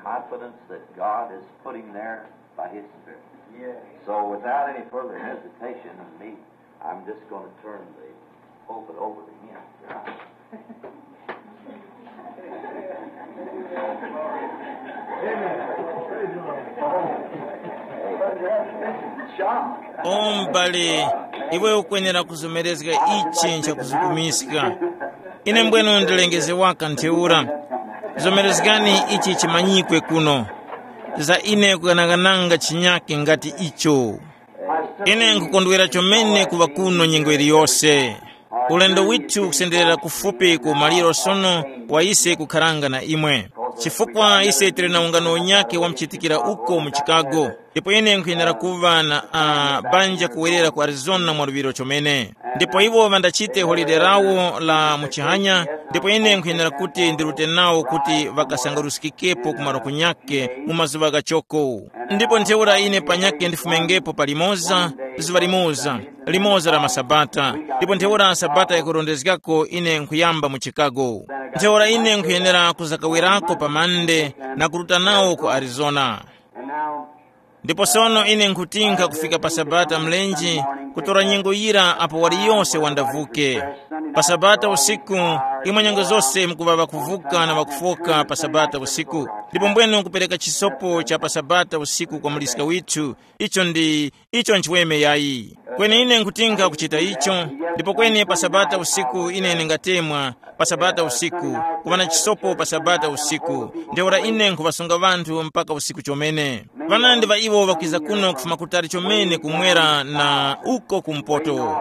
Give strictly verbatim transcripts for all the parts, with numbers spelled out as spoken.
Confidence that God is putting there by His Spirit. Yes. So without any further hesitation in me, I'm just going to turn the pulpit over to him. Shock. O m'bale, iwe ukwenera kuzomerezga ichi nchakuzukumiska. Ine mbwenu ndilengeze waka ntheura. Zomerezgani ichi chimanyikwe kuno. Za ine kughanaghananga chinyake ngati icho. Ine nkukondwera chomene kuŵa kuno nyengo iliyose. Ulendo withu ukusenderera kufupi ku maliro sono wa ise kukharanga na imwe. Chifukwa ise tili na ungano unyakhe wamchitikira uko mu Chicago. Ndipo ine nkhuyenera kuŵa na uh, banja kuwerera ku Arizona mwaluŵiro chomene. Ndipo iwo ŵandachite holide lawo la muchihanya. Ndipo ine nkhuyenera kuti ndirute nawo kuti ŵakasangaruskikepo ku malo kunyakhe mu mazuŵa ghachoko. Ndipo ntheura ine panyakhe ndifumengepo pa limoza, zuŵa limoza, limoza la masabata. Ndipo ntheura sabata yakurondezgako ine nkhuyamba mu Chicago. Ntheura ine nkhuyenera kuzakawerako pa Mande na kuruta nawo ku Arizona. Ndipo sono ine nkhutinka kufika pa sabata mlenje, kutora nyengo yira apo wali yose wandavuke. Pa sabata usiku, imwe nyengo zose mukuŵa ŵakuvuka na ŵakufoka pa sabata usiku. Ndipo mbwenu kupereka chisopo cha pa sabata usiku kwa muliska withu, icho ndi icho nchiweme yayi. Kweni ine nkhutinka kuchita icho. Ndipo kweni pa sabata usiku ine ndingatemwa, pa sabata usiku, kuŵa na chisopo pa sabata usiku. Ntheura ine nkhuŵasunga ŵanthu mpaka usiku chomene. Ŵanandi ŵa iwo ŵakwiza kuno kufuma kutali chomene kumwera na uko kumpoto.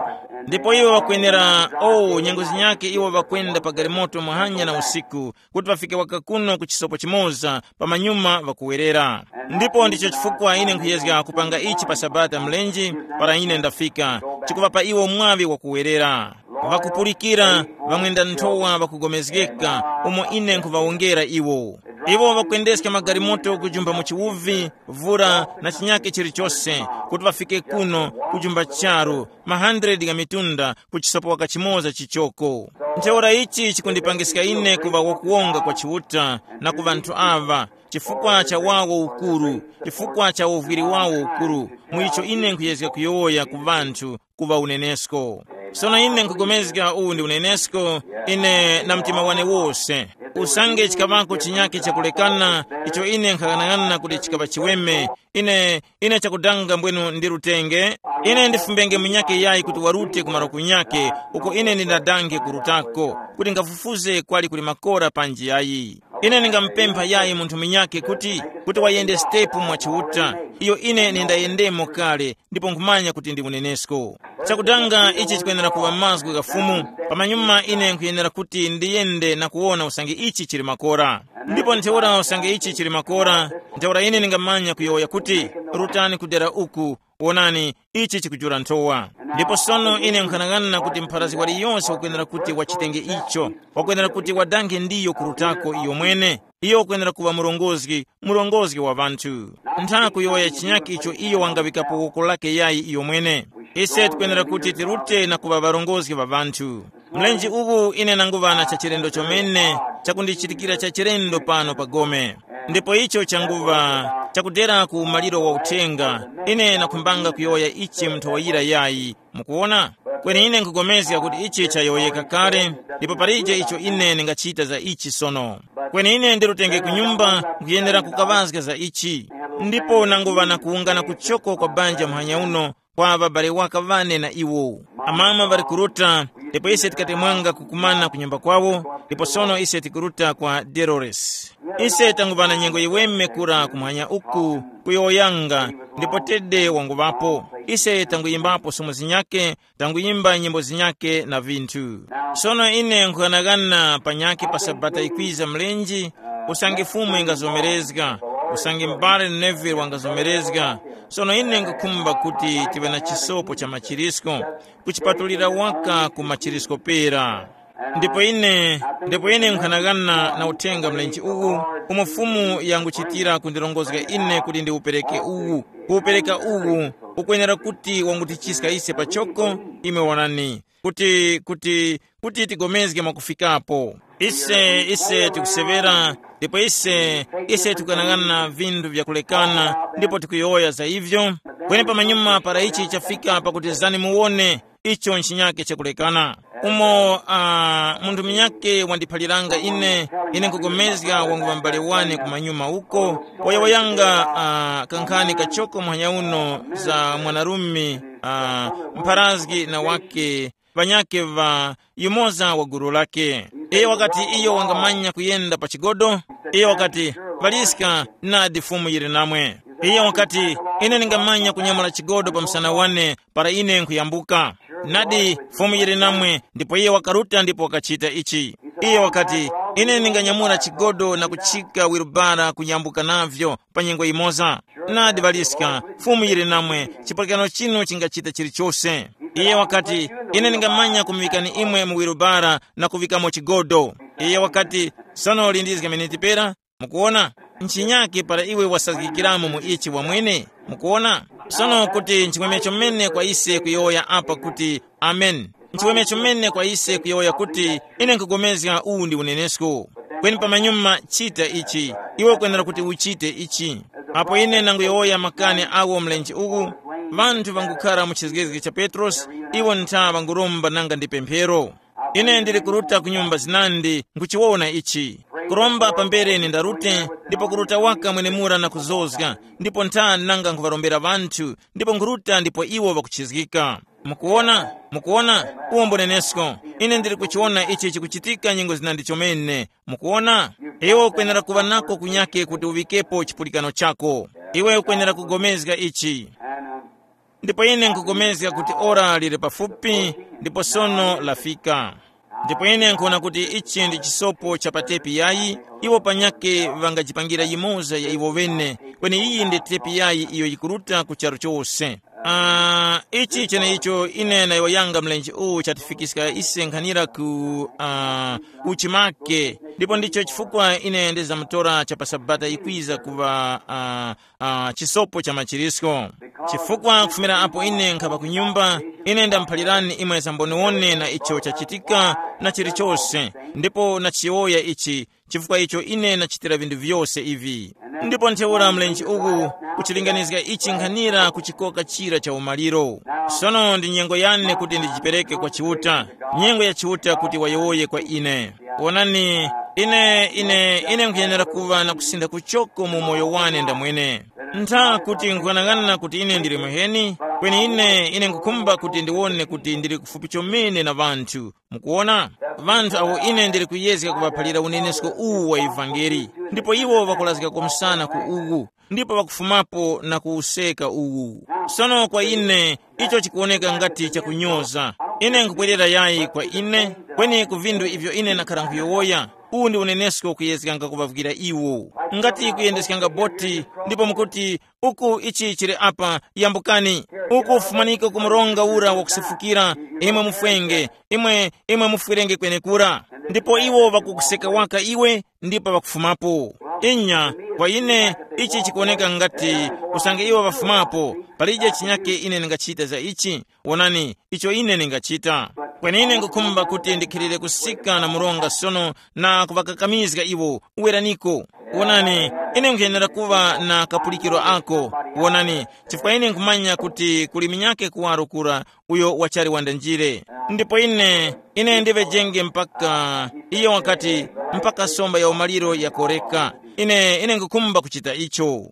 Ndipo iwo ŵakwenera, oh, nyengo zinyakhe iwo ŵakwenda pa galimoto muhanya na usiku, kuti ŵafike waka kuno ku chisopo chimoza, pamanyuma ŵakuwerera. Ndipo ndicho chifukwa ine nkhuyezga kupanga ichi pa sabata mlenje, para ine ndafika, chikuŵapa iwo mwaŵi wakuwerera. Ŵakupulikira, ŵamwenda nthowa ŵakugomezgeka, umo ine nkhuŵawongera iwo. Iwo ŵakwendeska magalimoto kujumpha mu chiwuvi, vura na chinyake chilichose, kuti ŵafike kuno kujumpha charu, ma hundred gha mitunda ku chisopo waka chimoza chichoko. Ntheura ichi chikundipangiska ine kuŵa wakuwonga kwa Chiuta na ku ŵanthu aŵa, chifukwa cha wawo ukuru, chifukwa cha uvwiri wawo ukuru, mu icho ine nkhuyezga kuyowoya ku ŵanthu kuŵa unenesko. Sono ine nkhupulikana uwu ndi unenesko, ine na mtima wane wose. Usange chikaŵako chinyake chakulekana, icho ine nkhaghanag'ana kuti chikaŵa chiweme, ine ine chakudanga mbwenu ndi lutenge. Ine ndifumbenge munyake yayi kuti warute ku malo kunyake uko ine ndindadange kurutako, kuti ngafufuze kwali kuli makora panji yayi. Ine ndingamupempha yayi munthu munyake kuti kuti wayende sitepu mwa Chiuta, iyo ine nindayendemo kale, ndipo nkhumanya kuti ndi unenesko. Chakudanga ichi chikwenera kuŵa mazgu gha Fumu. Pamanyuma ine nkhuyenera kuti ndiyende na kuwona usange ichi chili makora. Ndipo ntheura usange ichi chili makora, ntheura ine ningamanya kuyowoya kuti, rutani ku dera uku, wonani, ichi chikujula nthowa. Ndipo sono ine nkhanang'ana kuti mpharazgi waliyonse wakwenera kuti wachitenge icho, wakwenera kuti wadanghe ndiyo kurutako iyo mwene. Iyo wakwenera kuŵa murongozgi, murongozgi wa ŵanthu. Ntha kuyowoya chinyakhe icho iyo wangaŵikapo woko lake yayi iyo mwene. Ise tikwenera kuti tirute na kuŵa ŵarongozgi ŵa ŵanthu. Mlenje uwu ine nanguŵa na chachilendo chomene, chakundichitikira chachilendo pano pa gome. Ndipo icho changuŵa chakudera ku umaliro wa uthenga, ine nakhumbanga kuyowoya ichi mu nthowa yira yayi. Mukuwona? Kweni ine nkugomezga kuti ichi chayowoyeka kale, ndipo palije icho ine ndingachita za ichi sono. Kweni ine ndirutenge ku nyumba, nkhuyenera kukaŵazga za ichi. Ndipo nanguŵa na kuwungana kuchoko kwa banja muhanya uno, kwa ŵabale waka ŵane na iwo. Amama ŵali kuruta, ndipo ise tikatemwanga kukumana ku nyumba kwawo, ndipo sono ise tikuruta kwa Dolores. Ise tanguŵa na nyengo yiweme kura kumwanya uku, kuyowoyanga, ndipo Tede wanguŵapo. Ise tanguyimbapo somo zinyakhe, tanguyimba nyimbo zinyakhe na vinthu. Sono ine nkhughanaghana panyakhe pa Sabata yikwiza mlenje, usange Fumu ingazomerezga, usange m'bale Neville wangazomerezga. Sono ine nkhukhumba kuti tive na chisopo cha machirisko, kuchipatulira waka ku machirisko pera. Ndipo ine, ndipo ine nkhanagana na uthenga mlenje uwu, umo Fumu yanguchitira kundirongozga ine kuti ndiwupereke uwu. Kuwupereka uwu ukwenera kuti wangutichiska ise pachoko, imwe wonani, kuti, kuti, kuti tigomezge mwakufikapo. Ise ise tikuseŵera, ndipo ise ise tikuyang'ana vinthu vyakulekana, ndipo tikuyowoya za ivyo. Kweni pamanyuma para ichi chafika pakuti zani muwone, icho nchinyake chakulekana. Umo uh, munthu munyake wandiphaliranga ine, ine nkupulikana wangu ŵambale wane kumanyuma uko, wayowoyanga uh, kankhani kachoko muhanya uno za mwanarume uh, mpharazgi na wake ŵanyakhe ŵa yumoza wa gulu lakhe. Iyo wakati iyo wangamanya kuyenda pa chigodo. Iyo wakati, ŵaliska, nadi Fumu yili namwe. Iyo wakati, ine ndingamanya kunyamula chigodo pa msana wane para ine nkhuyambuka. Nadi Fumu yili namwe. Ndipo iye wakaruta ndipo wakachita ichi. Iye wakati, ine ndinganyamula chigodo na kuchika wirubara kuyambuka navyo pa nyengo yimoza. Nadi ŵaliska, Fumu yili namwe, chipulikano chinu chingachita chilichose. Iye wakati, ine ndingamanya kumuŵikani imwe mu wirubara na kuŵikamo chigodo. Iye wakati, sono lindizga miniti pera. Mukuona, nchinyake para iwe wasazgikiramo mu ichi wamwene. Mukuona, sono kuti nchimwemwe chomene kwa ise kuyowoya apa kuti, amen. Nchiweme chomene kwa ise kuyowoya kuti, ine nkupulikana uwu ndi unenesko. Kweni pamanyuma chita ichi, iwe ukwenera kuti uchite ichi. Apo ine nanguyowoya makani awo mlenje uwu, vanthu vangukhara mu chizgezge cha Petrosi, iwo ntha vanguromba nanga ndi pemphero. Ine ndili kuruta ku nyumba zinandi nkuchiwona ichi. Kuromba pambere ine ndarute, ndipo kuruta waka mwenemura na kuzozga, ndipo ntha nanga nkhuŵarombera vanthu, ndipo nkhuruta ndipo iwo ŵakuchizgika. Mukuwona? Mukuwona? Uwo mbunenesko. Ine ndili kuchiwona ichi chikuchitika nyengo zinandi chomene. Mukuwona? Iwe ukwenera kuŵa nako kunyake kuti uŵikepo chipulikano chako. Iwe ukwenera kugomezga ichi. Ndipo ine nkupulikana kuti ora lili pafupi, ndipo sono lafika. Ndipo ine nkuwona kuti ichi ndi chisopo cha pa tepi yayi, iwo panyake ŵangajipangira yimoza ya iwo ŵene, kweni iyi ndi tepi yayi iyo yikuruta ku charu chose. Ah, ichi cheneicho ine na iwo yanga mlenje uwu chatifikiska ise nkhanira ku uh, uchimake. Ndipo ndicho chifukwa ine ndizamutora cha pa sabata ikwiza kuva uh, uh, chisopo cha machirisko. Chifukwa kufumira apo ine nkhapa ku nyumba, ine ndamuphalirani imwe zamboniwone na icho chachitika na chilichose, ndipo nachiyowoya ichi, chifukwa icho ine nachitira vinthu vyose ivi. Ndipo ntheura mlenje uwu kuchilinganizga ichi nkhanira ku chikoka chira cha umaliro. Sono ndi nyengo yane kuti ndijipereke kwa Chiuta, nyengo ya Chiuta kuti wayowoye kwa ine. Wonani, ine ine ine nkhuyenera kuŵa na kusintha kuchoko mu moyo wane ndamwene. Ntha kuti nkughanagana kuti ine ndili muheni, kweni ine ine nkukhumba kuti ndiwone kuti ndili kufupi chomene na ŵanthu. Mukuwona, vanthu awo ine ndili kuyezga kuŵaphalira unenesko uwu wa ivangeli, ndipo iwo ŵakulazgako msana ku uwu, ndipo ŵakufumapo na kuwuseka uwu. Sono kwa ine, icho chikuwoneka ngati chakunyoza. Ine nkubwerera yayi kwa ine, kweni ku vinthu ivyo ine nakhara nkhuyowoya, uwu ndi unenesko kuyezganga kuŵavwira iwo. Ngati kuyendeskanga boti, ndipo mukuti, uku ichi chili apa, yambukani. Uku fumaniko ku mronga ura wakusefukira, imwe mufwenge, imwe imwe mufwerenge kwenekura. Ndipo iwo ŵakukuseka waka iwe, ndipo ŵakufumapo. Inya, kwa ine, ichi chikuwoneka ngati usange iwo ŵafumapo, palije chinyake ine ndingachita za ichi. Wonani, icho ine ndingachita. Kweni ine ngukhumba kuti ndikhilire kusika na mronga sono na kuŵakakamizga iwo. Uweraniko. Wonani, ine nkhuyenera kuŵa na kapulikiro ako. Wonani, chifukwa ine nkhumanya kuti kuli minyake kuwaro kura uyo wachali wandanjire. Ndipo ine ine ndiŵejenge mpaka, iyo wakati, mpaka somba ya umaliro yakoreka. Ine ine ngukhumba kuchita icho.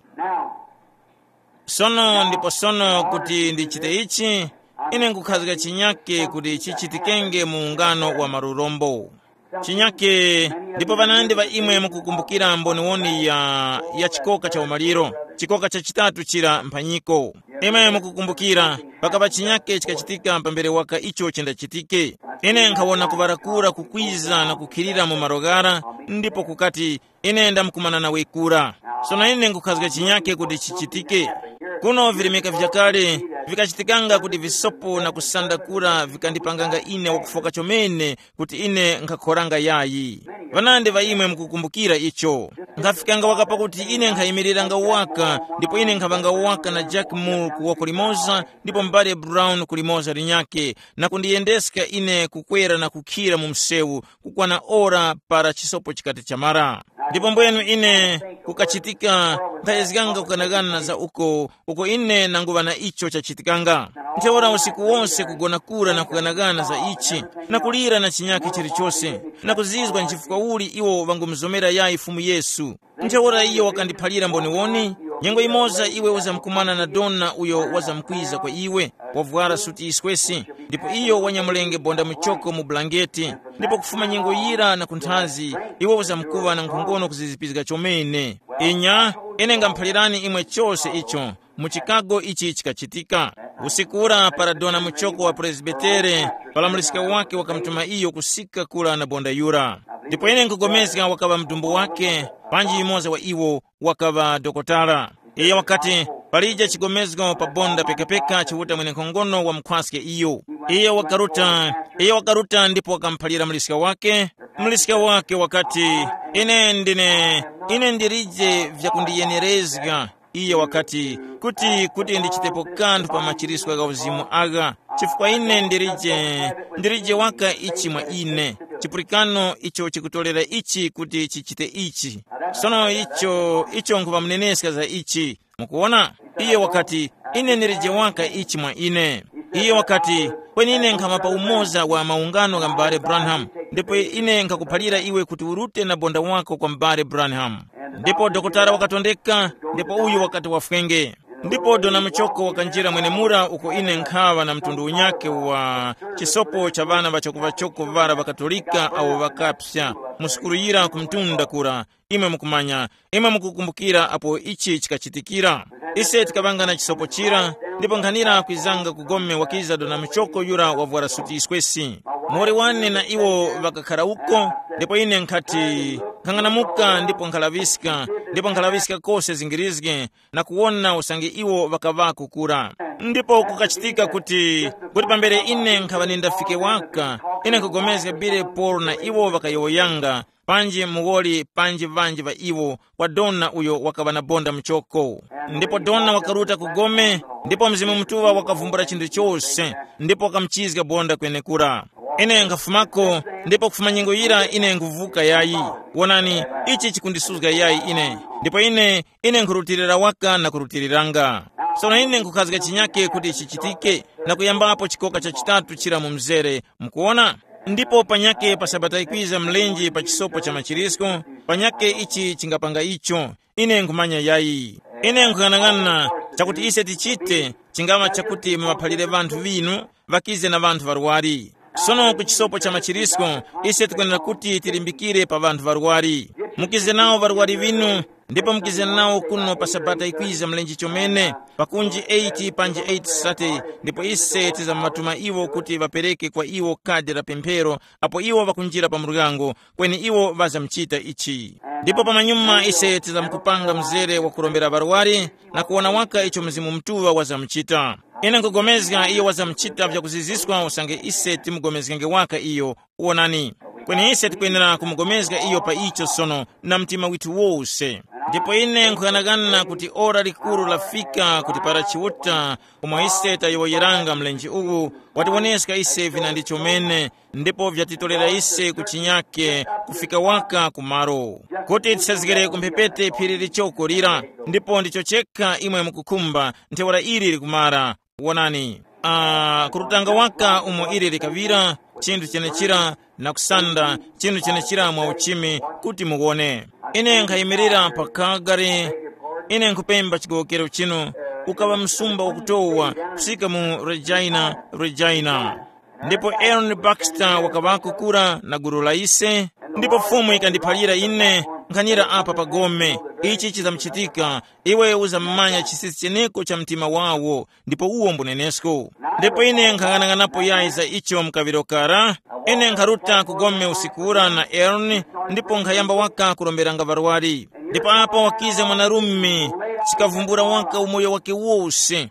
Sono ndipo sono kuti ndichite ichi, ine nkukhazga chinyake kuti chichitikenge mu ungano wa malurombo. Chinyake, ndipo ŵanandi ŵa imwe mukukumbukira mboniwoni ya ya chikoka cha umaliro, chikoka cha chitatu chira mphanyiko. Imwe mukukumbukira, pakaŵa chinyake chikachitika pambere waka icho chindachitike. Ine nkhawona kuŵarakura kukwiza na kukhilira mu malo ghara, ndipo kukati, ine ndamkumana nawe kura. Sono ine nkhukhazga chinyake kuti chichitike. Kuno virimika vyakale, Vikachitikanga kuti visopo na kusanda kura vikandipanganga ine wakufoka chomene kuti ine nkhakhoranga yayi. Ŵanandi ŵa imwe mukukumbukira icho. Nkhafikanga waka pakuti ine nkhayimiriranga waka, ndipo ine nkhaŵanga waka na Jack Moore ku woko limoza, ndipo mbale Brown ku limoza linyakhe, na kundiyendeska ine kukwera na kukhira mu msewu kukwana ora para chisopo chikati chamara. Ndipo mbwenu ine kukachitika nkhayezganga kukanakana za uko uko ine nanguŵa na icho chachitikanga. Ntheura usiku wonse kugona kura na kukanakana za ichi, na kulira na chinyakhe chilichose, na kuzizwa nchifukwa uli iwo ŵangumuzomera yayi Fumu Yesu. Ntheura iyo wakandiphalira mboniwoni, nyengo imoza iwe uzamkumana na dona uyo wazamkwiza kwa iwe, wavwara suti yiswesi, ndipo iyo wanyamulenge bonda muchoko mu bulangeti, ndipo kufuma nyengo yira na kunthazi, iwe uzamkuŵa na nkhongono kuzizipizga chomene. Inya, ine ngamphalirani imwe chose icho. Mu Chicago ichi chikachitika. Usiku ura para dona muchoko wa presbitere, palamuliska wake wakamutuma iyo kusika kura na bonda yura. Ndipo ine nkugomezga wakaŵa mdumbu wake, panji yumoza wa iwo wakaŵa dokotala. Iye wakati, palije chigomezgo pa bonda pekapeka chiuta mwenenkhongono wamukhwaske iyo. Iye wakaruta, iye wakaruta ndipo wakamuphalira muliska wake. Muliska wake wakati, ine ndine, ine ndilije vyakundiyenerezga. Iye wakati, kuti kuti ndichitepo kanthu pa machiriswa gha uzimu agha, chifukwa ine ndilije, ndilije waka ichi mwa ine. Chipulikano icho chikutorera ichi kuti chichite ichi. Sono icho icho nkhuŵamuneneska za ichi. Mukuwona, iye wakati, ine ndilije waka ichi mwa ine. Iye wakati, kweni ine nkhama pa umoza wa maungano gha m'bale Branham, ndipo ine nkhakuphalira iwe kuti urute na bonda wako kwa m'bale Branham. Ndipo dokotala wakatondeka, ndipo uyu wakati wafwenge. Ndipo dona muchoko wakanjira mwenemura uko ine nkhaŵa na mtundu unyakhe wa chisopo cha ŵana ŵachokoŵachoko ŵara ŵakatolika awo ŵakapsa mu sukulu yira ku mtunda kura. Imwe mukumanya, imwe mukukumbukira apo ichi chikachitikira. Ise tikaŵanga na chisopo chira, ndipo nkhanira kwizanga kugome wakiza dona muchoko yura wavwara suti yiswesi. Muwoli wane na iwo ŵakakhara uko, ndipo ine nkhati, nkhang'anamuka ndipo nkhalaŵiska, ndipo nkhalaŵiska kose zingirizge, na kuwona usange iwo ŵakaŵako kura. Ndipo kukachitika kuti, kuti pambere ine nkhaŵa nindafike waka, ine nkhupulikana Billy Paul na iwo ŵakayowoyanga, panji muwoli panji ŵanji ŵa iwo, kwa dona uyo wakaŵa na bonda muchoko. Ndipo dona wakaruta ku gome, ndipo Mzimu Mutuŵa wakavumbula chinthu chose, ndipo wakamuchizga bonda kwenekura. Ine nkhafumako, ndipo kufuma nyengo yira ine nkhuvuka yayi. Wonani, ichi chikundisuzga yayi ine, ndipo ine ine nkhurutilira waka na kurutiliranga. Sono ine nkhukhazga chinyake kuti chichitike, na kuyambapo chikoka cha chitatu chira mu mzere, mukuwona. Ndipo panyake pa sabata yikwiza mlenje pa chisopo cha machirisko, panyake ichi chingapanga icho. Ine nkhumanya yayi. Ine nkhung'anang'ana, chakuti ise tichite chingaŵa chakuti mumaphalire ŵanthu ŵinu, ŵakize na ŵanthu ŵarwari. Sono ku chisopo cha machirisko, ise tikwenera kuti tilimbikire pa ŵanthu ŵarwari. Mukize nawo ŵarwari ŵinu, ndipo mukize nawo kuno pa sabata yikwiza mlenje chomene, pakunji eight panji eight sate, ndipo ise tizamatuma iwo kuti ŵapereke kwa iwo kadi la pemphero, apo iwo ŵakunjira pa muryango, kweni iwo ŵazamuchita ichi. Ndipo pamanyuma ise tizamkupanga mzere wa kurombera ŵarwari, na kuwona waka icho Mzimu Mutuŵa wazamuchita. Ine nkugomezga iyo wazamuchita vyakuziziswa usange ise timugomezgenge waka iyo. Wonani, kweni ise tikwenera kumugomezga iyo pa icho sono na mtima withu wose. Ndipo ine nkhughanaghana kuti ora likuru lafika kuti para Chiuta umo ise tayowoyeranga mlenje uwu, watiwoneska ise vinandi chomene, ndipo vyatitorera ise kuchinyake kufika waka kumalo, kuti tisazgere ku mphepete phiri lichoko lira. Ndipo ndicho chekha imwe mukukhumba, ntheura ili likumara. Wonani, uh, kurutanga waka umo ili likaŵira, chinthu chenechira, na kusanda chinthu chenechira mwa uchimi, kuti muwone. Ine nkhayimirira pa Calgary. Ine nkhupemba chigowokero chinu, ukaŵa msumba wakutowa kusika mu Regina, Regina. Ndipo Aaron Baxter wakaŵako kura na gulu la ise, ndipo Fumu yikandiphalira ine, nkhanira apa pa gome, ichi chizamuchitika, iwe uzamumanya chisisi cheneko cha mtima wawo, ndipo uwo mbunenesko. Ndipo ine nkhang'anang'anapo yayi za icho mkaŵiro kara, ine nkharuta ku gome usiku ura na Aaron, ndipo nkhayamba waka kuromberanga ŵarwari. Ndipo apo wakiza mwanarume, chikavumbula waka umoyo wake wose.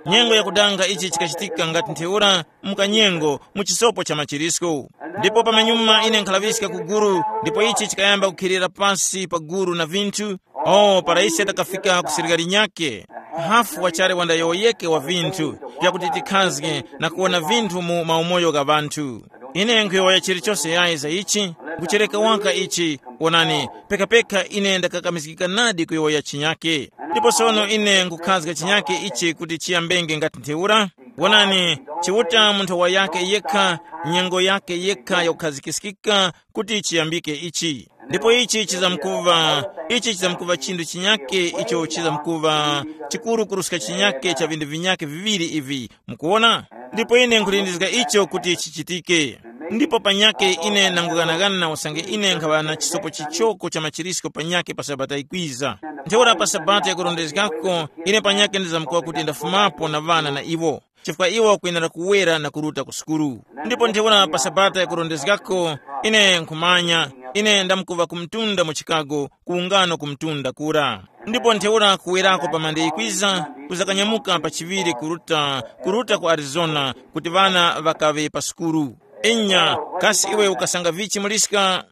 Nyengo yakudanga ichi chikachitika ngati ntheura, mukanyengo, mu chisopo cha machirisko. Ndipo pamanyuma ine nkhalaŵiska ku guru, ndipo ichi chikayamba kukhilira pasi pa guru na vinthu. O, para ise takafika ku sirikali nyakhe, hafu wachali wandayowoyeke wa vinthu, vyakuti tikhazge na kuwona vinthu mu maumoyo gha ŵanthu. Ine nkhuyowoya chilichose yayi za ichi, nkuchereka waka ichi. Wonani, pekapeka ine ndakakamizgika nadi kuyowoya chinyake. Ndipo sono ine nkukhazga chinyake ichi kuti chiyambenge ngati ntheura. Wonani, Chiuta munthu wa yake yekha, nyengo yake yekha yakukhazikiskika kuti chiyambike ichi. Ndipo ichi chizamkuva, ichi chizamkuva chinthu chinyake icho chizamkuva chikuru kuruska chinyake cha vindu vinyake viŵiri ivi. Mukuwona? Ndipo ine nkhulindizga icho kuti chichitike. Ndipo panyake ine nangughanagana usange ine nkhaŵa na chisopo chichoko cha machirisko panyake pa sabata ikwiza. Ntheura pa sabata yakurondezgako, ine panyake ndizamkuwa kuti ndafumapo na ŵana na iwo, chifukwa iwo kwenera kuwera na kuruta ku sukulu. Ndipo ntheura pa sabata yakurondezgako, ine nkhumanya, ine ndamkuva ku mtunda mu Chicago, ku ungano ku mtunda kura. Ndipo ntheura kuwerako pa mande ikwiza, kuzakanyamuka pa chiŵiri kuruta, kuruta ku Arizona, kuti ŵana ŵakaŵe pa sukulu. Inya, kasi iwe ukasanga vichi muliska?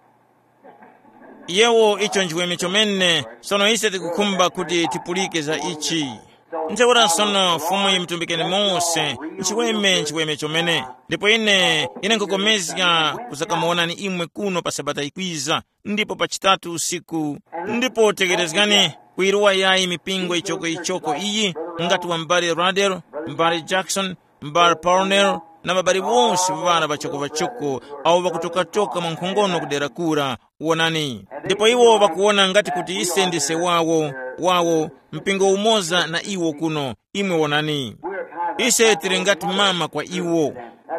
Yewo icho nchiweme chomene. Sono ise tikukhumba kuti tipulike za ichi. Ntheura sono Fumu yimutumbikeni mose, nchiweme nchiweme chomene. Ndipo ine ine nkukomezga kuzakamuwonani imwe kuno pa sabata ikwiza, ndipo pa chitatu usiku. Ndipo tekerezgani, kuyiruwa yayi mipingo ichoko ichoko iyi, ngati wa m'bale Radel, m'bale Jackson, m'bale Parnell, na ŵabali wose ŵara ŵachoko-ŵachoko, awo ŵakutokatoka mwa nkhongono kudera kura. Wonani, ndipo iwo ŵakuwona ngati kuti ise ndise wawo, wawo, mpingo umoza na iwo kuno. Imwe wonani, ise tili ngati mama kwa iwo.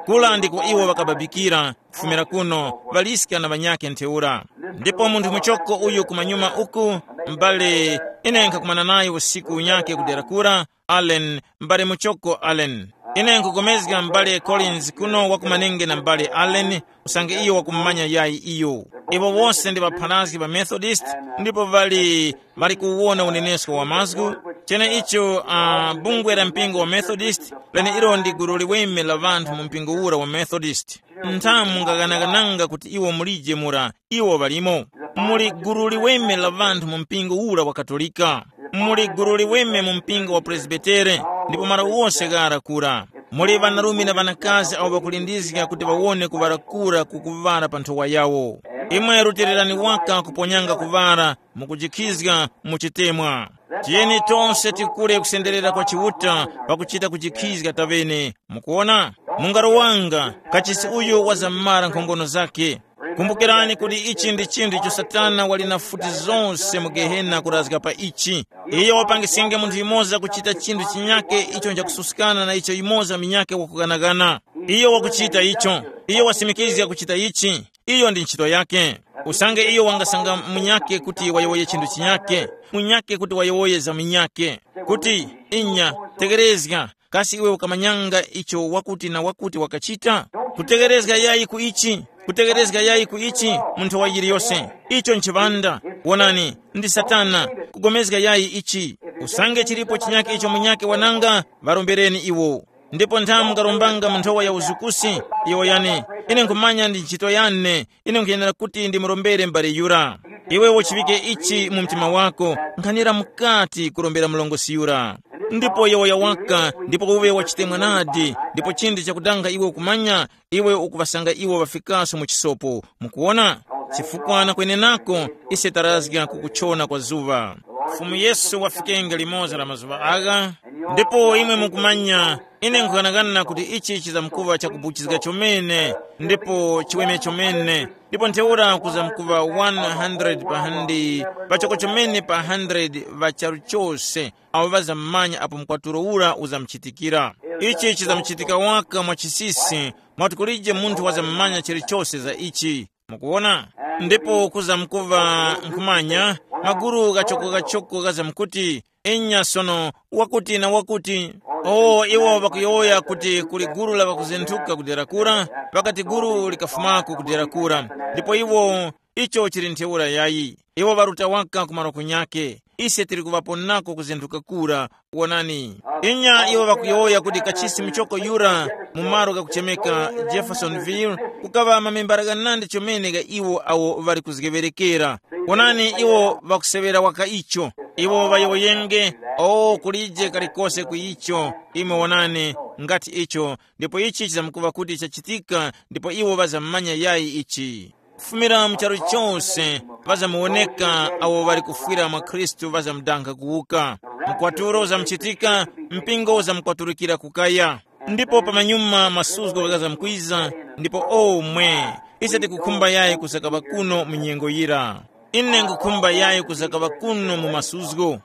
Kula ndiko iwo ŵakababikira, kufumira kuno, ŵaliska na ŵanyakhe ntheura. Ndipo munthu muchoko uyu kumanyuma uku, m'bale, ine nkhakumana naye usiku unyakhe kudera kura, Allen, m'bale muchoko Allen. Ine nkupulikana m'bale Collins kuno wakumanenge na m'bale Allen, usange iyo wakumumanya yayi iyo. Iwo wose ndi ŵapharazgi ŵa Methodist, ndipo ŵali, ŵali kuwona unenesko wa mazgu. Cheneicho, uh, bungwe la mpingo wa Methodist, leneilo ndi gulu liweme la ŵanthu mu mpingo ura wa Methodist. Nthamu mungaganagananga kuti iwo mulije mura, iwo ŵalimo. Muli gulu liweme la ŵanthu mu mpingo ura wa Katolika. Muli gulu liweme mu mpingo wa Presbitere, ndipo malo wose ghara kura. Muli ŵanarume na ŵanakazi awo ŵakulindizga kuti ŵawone kuŵala kura kukuŵala pa nthowa yawo. Imwe rutilirani waka kuponyanga kuŵala, mukujikhizga mu chitemwa. Tiyeni tose tikule kusenderera kwa Chiuta pakuchita kujikhizga taŵene. Mukuona? Mungaro wanga, kachisi uyu wazamara nkhongono zakhe. Kumbukirani kuti ichi ndi chinthu icho Satana wali na futi zose mu Gehena kurazga pa ichi. Iyo wapangisinge munthu yumoza kuchita chinthu chinyake icho nchakususkana na icho yumoza minyake wakuganagana. Iyo wakuchita icho. Iyo wasimikizga kuchita ichi. Iyo ndi ntchito yake. Usange iyo wangasanga munyake kuti wayowoye chinthu chinyake, munyake kuti wayowoye za munyake, kuti, inya, tekerezga, kasi iwe ukamanyanga icho wakuti na wakuti wakachita? Kutekerezga yayi ku ichi, kutekerezga yayi ku ichi, munthu wa yiliyose. Icho nchiŵanda. Wonani, ndi Satana, kugomezga yayi ichi. Usange chilipo chinyake icho munyake wananga, ŵarombereni iwo. Ndipo nthamu mungarombanga mu nthowa ya uzukusi, iwo yani, ine nkhumanya ndi ntchito yane, ine nkhuyenera kuti ndimurombere m'bale yura. Iwe uchiŵike ichi mu mtima wako, nkhanira mukati kurombera mlongosi yura. Ndipo yowoya waka, ndipo uwe wachitemwa nadi, ndipo chindi chakudanga iwe ukumanya, iwe ukuŵasanga iwo ŵafikaso mu chisopo. Mukuwona? Chifukwa na kwenenako, ise tarazga kukuchona kwa zuŵa. Fumu Yesu wafikenge limoza la mazuŵa agha, ndipo imwe mukumanya, ine nkughanagana kuti ichi chizamkuŵa chakubuchizga chomene, ndipo chiweme chomene, ndipo ntheura kuzamkuŵa one hundred pa handi, pachoko chomene pa hundred ŵa charu chose, awo ŵazamumanya apo mkwatulo ura uzamuchitikira. Ichi chizamuchitika waka mwa chisisi, mwati kulije munthu wazamumanya chilichose za ichi. Mukuwona? Ndipo kuzamkuŵa nkhumanya, maguru ghachoko-ghachoko ghazamkuti, inya sono, wakuti na wakuti. O, iwo ŵakuyowoya kuti kuli guru la ŵakuzinthuka kudera kura, ŵakati guru likafumako kudera kura. Ndipo iwo Icho chili ntheura yayi. Iwo ŵaruta waka ku malo kunyake. Ise tili kuŵaponako kuzinthu kakura. Wonani, inya iwo ŵakuyowoya kuti kachisi muchoko yura mu malo ghakuchemeka Jeffersonville, kukaŵa mamembara ghanandi chomene gha iwo awo ŵali kuzgeŵerekera. Wonani, iwo ŵakuseŵera waka icho. Iwo ŵayowoyenge, o kulije kalikose ku icho. Imwe wonani, ngati icho, ndipo ichi chizamkuŵa kuti chachitika, ndipo iwo ŵazamanya yayi ichi. Kufumira mu charu chose, ŵazamuwoneka awo ŵali kufwira mwa Khristu ŵazamudankha kuwuka. Mkwaturo uzamuchitika, mpingo uzamukwaturukira kukaya. Ndipo pamanyuma masuzgo ghazamkwiza, ndipo omwe, ise tikukhumba yayi kuzakaŵa kuno mu nyengo yira. Ine nkhukhumba yayi kuzakaŵa kuno mu masuzgo.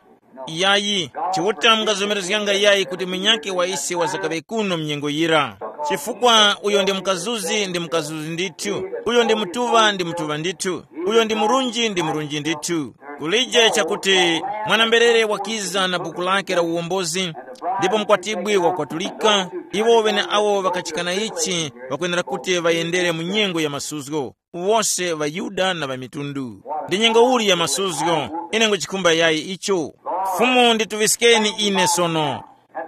Yayi, Chiuta mungazomerezganga yayi kuti munyakhe wa ise wazakaŵe kuno mnyengo yira. Chifukwa uyo ndi mukazuzi ndi mukazuzi ndithu, uyo ndi mutuŵa ndi mutuŵa ndithu, uyo ndi murunji ndi murunji ndithu. Kulije chakuti mwana-mberere wakiza na buku lake la uwombozi, ndipo mukwatibwi wakwatulika, iwo ŵeneawo ŵakachikana ichi ŵakwenera kuti ŵayendere mu nyengo ya masuzgo. Wose ŵaYuda na ŵamitundu. Ndi nyengo uli ya masuzgo, ine nguchikhumba yayi icho. Fumu ndituŵiskeni ine sono.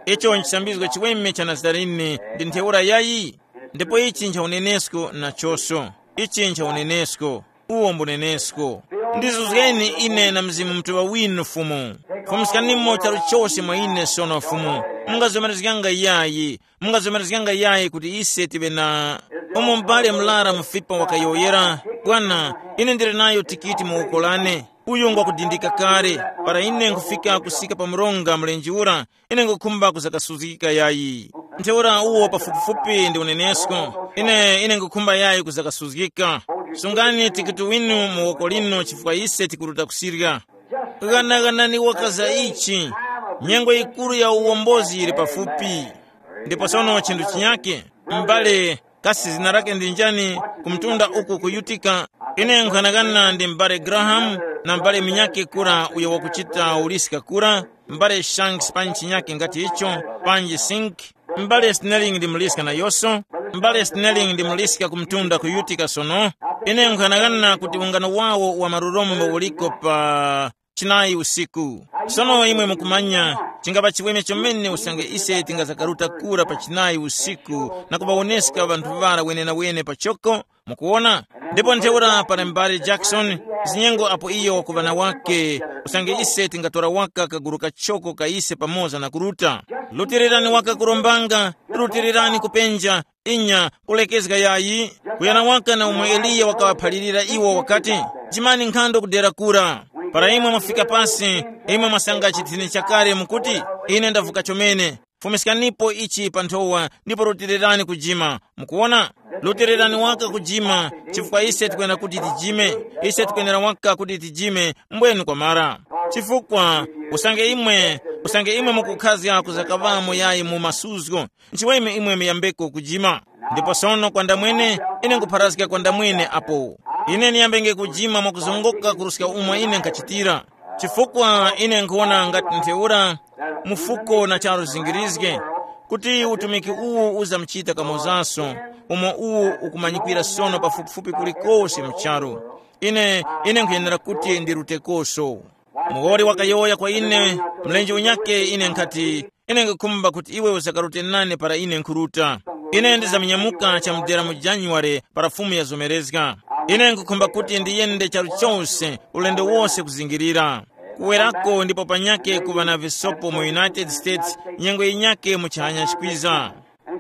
Icho nchisambizgo chiweme cha Nazarene ndi ntheura yayi. Ndipo ichi ncha unenesko nachoso. Ichi ncha unenesko. Uwo mbunenesko. Ndizuzgeni ine na Mzimu Mutuŵa winu Fumu. Fumuskanimo charu chose mwa ine sono Fumu. Mungazomerezganga yayi. Mungazomerezganga yayi kuti ise tiŵe na umo m'bale murara mufipa wakayowoyera, bwana, ine ndili nayo tikiti mu woko lane. Uyu ngwakudindika kale. Para ine nkhufika kusika pa mronga mlenje ura, ine ngukhumba kuzakasuzgika yayi. Ntheura uwo pafupifupi ndi unenesko. Ine ine ngukhumba yayi kuzakasuzgika. Sungani tikiti winu mu woko lino chifukwa ise tikuruta kusirya. Ghanaghanani waka za ichi. Nyengo yikuru ya uwombozi yili pafupi. Ndipo sono chinthu chinyake, m'bale, kasi zina lake ndi njani? Ku mtunda uku ku Utica. Ine nkhanakana ndi m'bale Graham na m'bale munyakhe kura uyo wakuchita uliska kura, m'bale Shanks panji chinyakhe ngati icho, panji Sink. M'bale Snelling ndi muliska nayonso. M'bale Snelling ndi muliska ku mtunda ku Utica sono. Ine nkhanakana kuti ungano wawo wa marurombo uliko pa chinayi usiku. Sono imwe mukumanya, chingapa chiweme chomene usange ise tingazakaruta kura pa chinayi usiku na kuŵawoneska ŵanthu ŵara wenenawene pachoko. Mukuwona? Ndipo ntheura pali m'bale Jackson, zinyengo apo iyo wakuŵa na wake, usange ise tingatora waka kagulu kachoko ka ise pamoza na kuruta. Lutirani waka kurombanga, lutirani kupenja, inya, kulekezga yayi, kuyana waka na umo Eliya wakaŵaphalirira iwo wakati, jimani nkhando kudera kura. Para imwe mwafika pasi, imwe mwasanga chithini chakale mukuti, ine ndavuka chomene. Fumiskanipo ichi pa nthowa ndipo rutirerani kujima. Mukuwona? Rutirerani waka kujima, chifukwa ise tikwenera kuti tijime. Ise tikwenera waka kuti tijime, mbwenu kwamara. Chifukwa, usange imwe, usange imwe mukukhazga kuzakaŵamo yayi mu masuzgo, nchiweme imwe muyambeko kujima. Ndipo sono kwa ndamwene, ine nkupharazga kwa ndamwene apo. Ine niyambenge kujima mwakuzongoka kuruska umo ine nkhachitira. Chifukwa ine nkhuwona ngati ntheura, mufuko na charu zingirizge, kuti utumiki uwu uzamuchita kamozaso, umo uwu ukumanyikwira sono pafupifupi kulikose mu charu. Ine, ine nkhuyenera kuti ndirutekoso. Muwoli wakayowoya kwa ine, mlenje unyake, ine nkhati, ine nkhukhumba kuti iwe uzakarute nane para ine nkhuruta. Ine ndizamunyamuka chamudera mu January para Fumu yazomerezga. Ine nkhukhumba kuti ndiyende charu chose, ulendo wose kuzingirira. Kuwerako ndipo panyake kuŵa na visopo mu United States, nyengo yinyake mu chihanya chikwiza.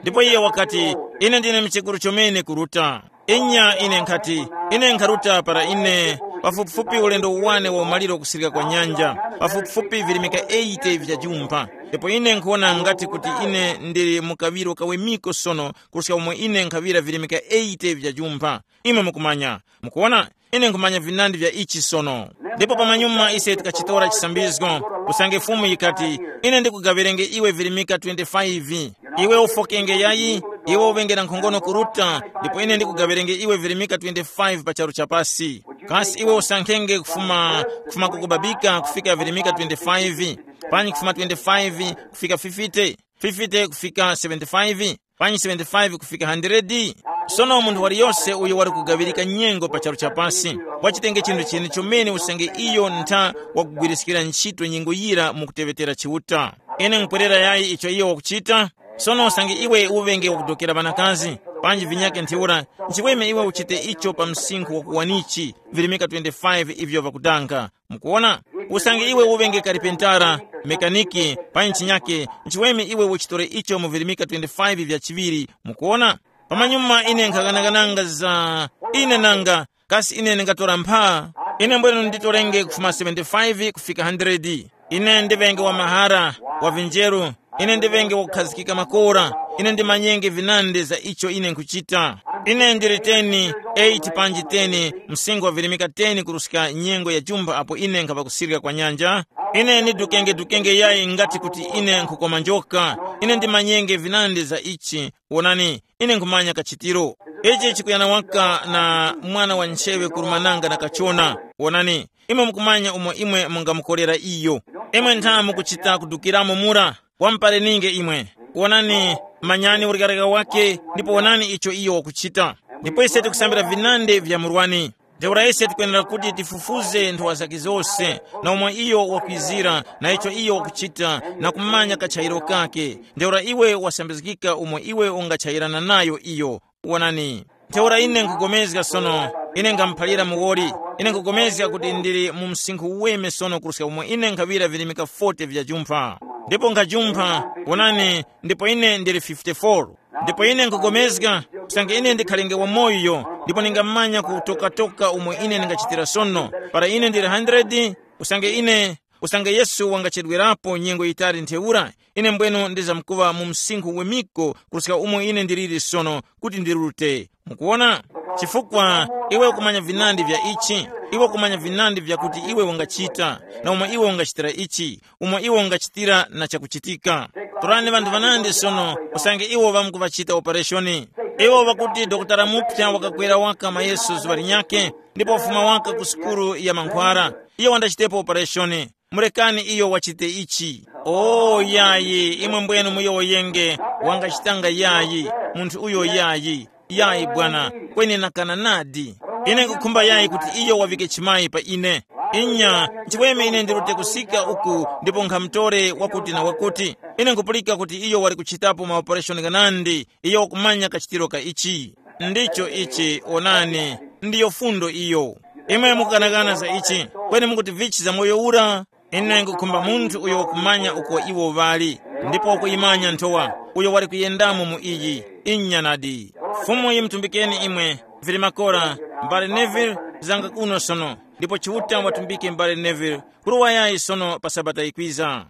Ndipo iye wakati, ine ndine mchekuru chomene kuruta. Inya ine nkhati, ine nkharuta para ine, pafupifupi ulendo uwane wa umaliro kusirika kwa nyanja, pafupifupi virimika eighty vya jumpha. Ndipo ine nkhuwona ngati kuti ine ndili mu kaŵiro kawemiko sono, kuruska umo ine nkhaŵira virimika eighty vya jumpha. Imwe mukumanya, mukuwona, ine nkhumanya vinandi vya ichi sono. Ndipo pamanyuma ise tikachitora chisambizgo, usange Fumu yikati, ine ndikugaŵirenge iwe virimika twenty-five. Iwe ufokenge yayi, iwe uŵenge na nkhongono kuruta, ndipo ine ndikugaŵirenge iwe virimika twenty-five pa charu chapasi. Kasi iwe usankhenge kufuma, kufuma kukubabika kufika virimika twenty-five, panyi kufuma twenty-five kufika fifty, fifty kufika seventy-five? Panyi seventy-five kufika hundred? Sono munthu waliyose uyo wali kugaŵirika nyengo pa charu cha pasi, wachitenge chinthu chene chomene usange iyo ntha wakugwiriskira ntchito nyengo yira mu kuteŵetera Chiuta. Ine nkupwerera yayi icho iyo wakuchita. Sono usange iwe uŵenge wakudokera ŵanakazi, panji vinyake ntheura, nchiweme iwe uchite icho pa msinkhu wakuwanichi, virimika twenty-five ivyo ŵakudanga. Mukuwona? Usange iwe uŵenge karipentara, mekaniki, panyi chinyake, nchiweme iwe uchitore icho mu virimika twenty-five vya chiŵiri. Mukuwona? Pamanyuma ine nkhaganagananga za ine nanga, kasi ine ndingatora mpha? Ine mbwenu nditorenge kufuma seventy-five kufika hundred. Ine ndiŵenge wa mahara, wa vinjeru. Ine ndiŵenge wakukhazikika makora. Ine ndimanyenge vinandi za icho ine nkhuchita. Ine ndili ten, eight panji ten, msinkhu wa virimika ten kuruska nyengo ya chumba apo ine nkhapa kusirika kwa nyanja. Ine ndidukenge-dukenge yayi ngati kuti ine nkhukoma njoka. Ine ndimanyenge vinandi za ichi. Wonani, ine nkhumanya kachitiro. Ichi chikuyana waka na mwana wa nchewe kurumananga na kachona. Wonani, imwe mukumanya umo imwe mungamukorera iyo. Imwe ntha mukuchita kudukiramo mura. Wamupareninge imwe. Wonani, manyani ulekareka wake, ndipo wonani icho iyo wakuchita. Ndipo ise tikusambira vinande vya murwani. Ntheura ise tikwenera kuti tifufuze nthowa zake zose, na umo iyo wakwizira, na icho iyo wakuchita, na kumanya kachayiro kake. Ntheura iwe wasambizgika umo iwe ungachayirana nayo iyo. Wonani, ntheura ine nkugomezga sono, ine ngamuphalira muwoli, ine nkugomezga kuti ndili mu msinkhu uweme sono kuruska umo ine nkhaŵira virimika forty vya jumpha. Ndipo nkhajumpha, wonani, ndipo ine ndili fifty-four. Ndipo ine nkugomezga, usange ine ndikhalenge wamoyo, ndipo ningamanya kutokatoka umo ine ndingachitira sono, para ine ndili hundred, usange ine, usange Yesu wangachedwerapo nyengo yitali ntheura, ine mbwenu ndizamkuŵa mu msinkhu wemiko kuruska umo ine ndiliri sono kuti ndirute. Mukuwona? Chifukwa iwe ukumanya vinandi vya ichi, iwe ukumanya vinandi vyakuti iwe ungachita, na umo iwe ungachitira ichi, umo iwe ungachitira na chakuchitika. Torani ŵanthu ŵanandi sono, usange iwo ŵamkuŵachita opereshoni. Iwo ŵakuti dokotala muphya wakakwera waka mayeso zuŵa linyakhe, ndipo wafuma waka ku sukulu ya mankhwara. Iyo wandachitepo opereshoni. Murekani iyo wachite ichi. O yayi, imwe mbwenu muyowoyenge, wangachitanga yayi, munthu uyo yayi. Yayi bwana, kweni nakana nadi. Ine nkukhumba yayi kuti iyo wavike chimayi pa ine. Inya, nchiweme ine ndirute kusika uku ndipo nkhamutore wakuti na wakuti. Ine nkupulika kuti iyo wali kuchitapo maopereshoni ghanandi, iyo wakumanya kachitiro ka ichi. Ndicho ichi, onani, ndiyo fundo iyo. Imwe mukukanakana za ichi, kweni mukuti vichi za moyo ura? Ine nkukhumba munthu uyo wakumanya uko iwo ŵali, ndipo wakuyimanya nthowa, uyo wali kuyendamo mu iyi. Inya nadi. Fumu yimutumbikeni imwe, vili makora, mbale Neville, zanga kuno sono, ndipo Chiuta watumbike mbale Neville, kuruwa yayi sono pa Sabata yikwiza.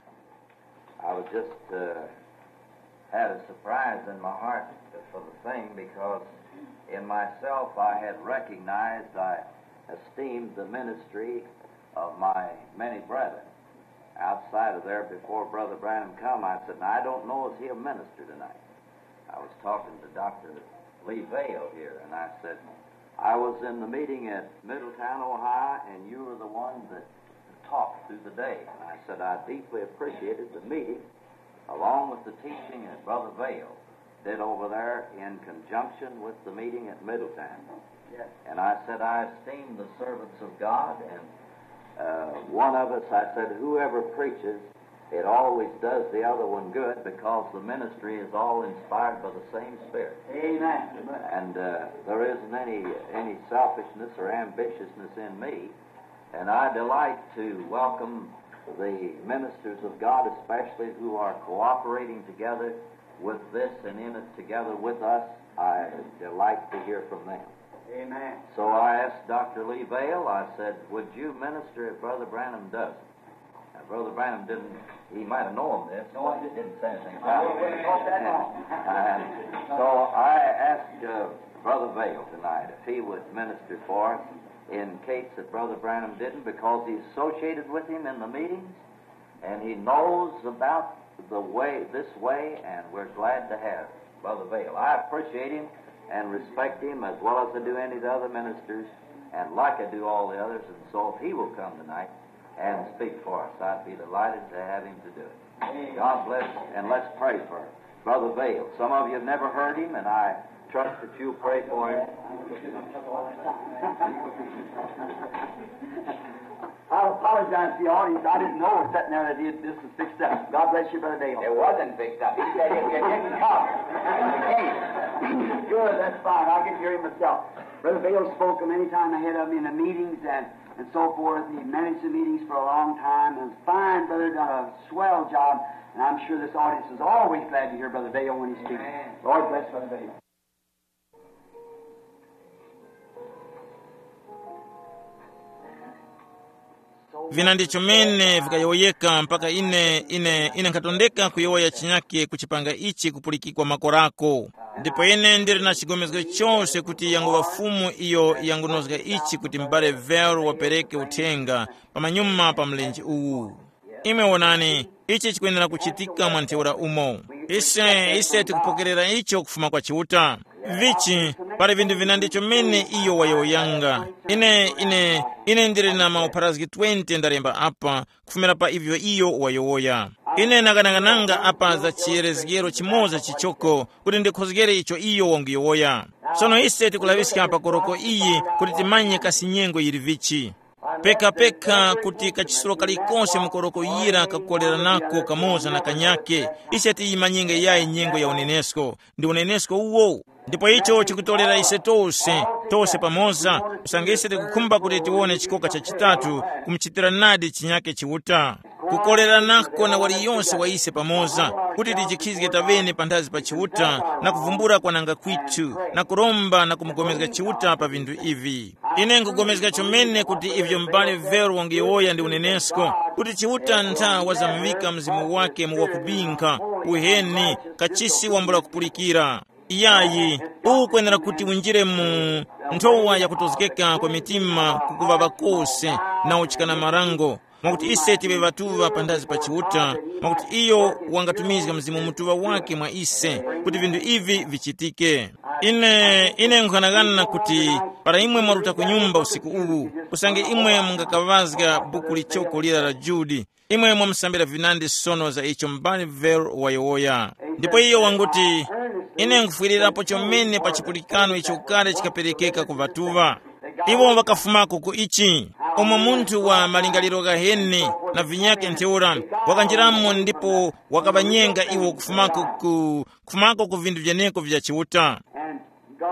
I was just uh, had a surprise in my heart for the thing because in myself I had recognized, I esteemed the ministry of my many brethren. Outside of there, before Brother Branham come, I said, "Now, I don't know if he'll minister tonight." I was talking to Doctor Lee Vale here, and I said, "I was in the meeting at Middletown, Ohio, and you were the one that talked through the day." And I said, "I deeply appreciated the meeting along with the teaching that Brother Vale did over there in conjunction with the meeting at Middletown." Yes. And I said, "I esteem the servants of God, and uh, one of us," I said, "whoever preaches, it always does the other one good because the ministry is all inspired by the same Spirit." Amen. And uh, there isn't any, any selfishness or ambitiousness in me. And I delight to welcome the ministers of God, especially who are cooperating together with this and in it together with us. I delight to hear from them. Amen. So I asked Doctor Lee Vale, I said, "Would you minister if Brother Branham doesn't?" Now, Brother Branham didn't, he might have known this, but he didn't say anything about it. And so I asked uh, Brother Vale tonight if he would minister for us in case that Brother Branham didn't, because he associated with him in the meetings, and he knows about the way, this way, and we're glad to have Brother Vale. I appreciate him and respect him as well as I do any of the other ministers, and like I do all the others, and so if he will come tonight and speak for us, I'd be delighted to have him to do it. God bless, and let's pray for him. Brother Vail. Some of you have never heard him, and I trust that you'll pray for him. I apologize to the audience. I didn't know it was sitting there that he had this was fixed up. God bless you, Brother Vail. It wasn't fixed up. He said it, it didn't come. It came. Good, that's fine. I can hear him myself. Brother Vail spoke many times ahead of me in the meetings and, and so forth. He managed the meetings for a long time and was a fine brother, done a swell job. And I'm sure this audience is always glad to hear Brother Vail when he speaks. Lord bless Brother Vail. Vina ndi chomene vikayowoyeka mpaka ine ine ine nkhatondeka kuyowoya chinyake kuchipanga ichi kupulikikwa makorako. Ndipo ine ndili na chigomezgo chose kuti yanguŵa Fumu iyo yangunozga ichi kuti m'bale Vero wapereke uthenga pamanyuma pa mlenje uwu. Imwe wonani, ichi chikwenera kuchitika mwa ntheura umo. Ise ise tikupokerera icho kufuma kwa Chiuta. Vichi, pali vinthu vina ndicho mene iyo wayowoyanga. Ine ine ine ndili na maupharazgi twenty ndalemba apa kufumira pa ivyo iyo wayowoya. Ine nakanakananga apa za chiyerezgero chimoza chichoko kuti ndikhozgere icho iyo wanguyowoya. Sono ise tikulaŵiska pa koroko iyi kuti timanye kasi nyengo yili vichi. Pekapeka kuti kachisulo kalikonse mu koroko yira kakukoleranako kamoza na kanyake, ise tiyimanyenge yayi nyengo ya unenesko ndi unenesko uwo. Ndipo icho chikutolera ise tose tose pamoza, kusanga ise tikukhumba kuti tiwone chikoka cha chitatu kumuchitira nadi chinyake Chiuta. Kukoleranako na waliyonse wa ise pamoza, kuti tijikhizge tavene panthazi pa Chiuta na kuvumbula kwananga kwithu na kuromba na kumugomezga Chiuta pa vinthu ivi. Ine nkugomezga chomene kuti ivyo m'bale Vero wangiyowoya ndi unenesko, kuti Chiuta ntha wazamuŵika mzimu wake mu wakubinkha, uheni, kachisi wambula kupulikira. Iyayi, uwu ukwenera kuti winjire mu nthowa yakutozgeka kwa mitima kukuŵaŵa kose na uchikana marango, mwakuti ise tiŵe ŵatuŵa panthazi pa Chiuta, mwakuti iyo wangatumizga Mzimu Mutuŵa wake mwa ise kuti vinthu ivi vichitike. Ine ine nkhanakana kuti para imwe mwaruta ku nyumba usiku uwu, usange imwe mungakaŵazga buku lichoko lira la Judi, imwe mwamusambira vinandi sono za icho m'bale Vero wayowoya. Ndipo iyo wanguti, ine nkhufwirirapo chomene pa chipulikano icho kale chikaperekeka ku ŵatuŵa. Iwo ŵakafumako ku ichi, umo munthu wa malingaliro ghaheni na vinyakhe ntheura wakanjiramo ndipo wakaŵanyenga iwo kufumako ku kufumako ku vinthu vyeneko vya Chiuta.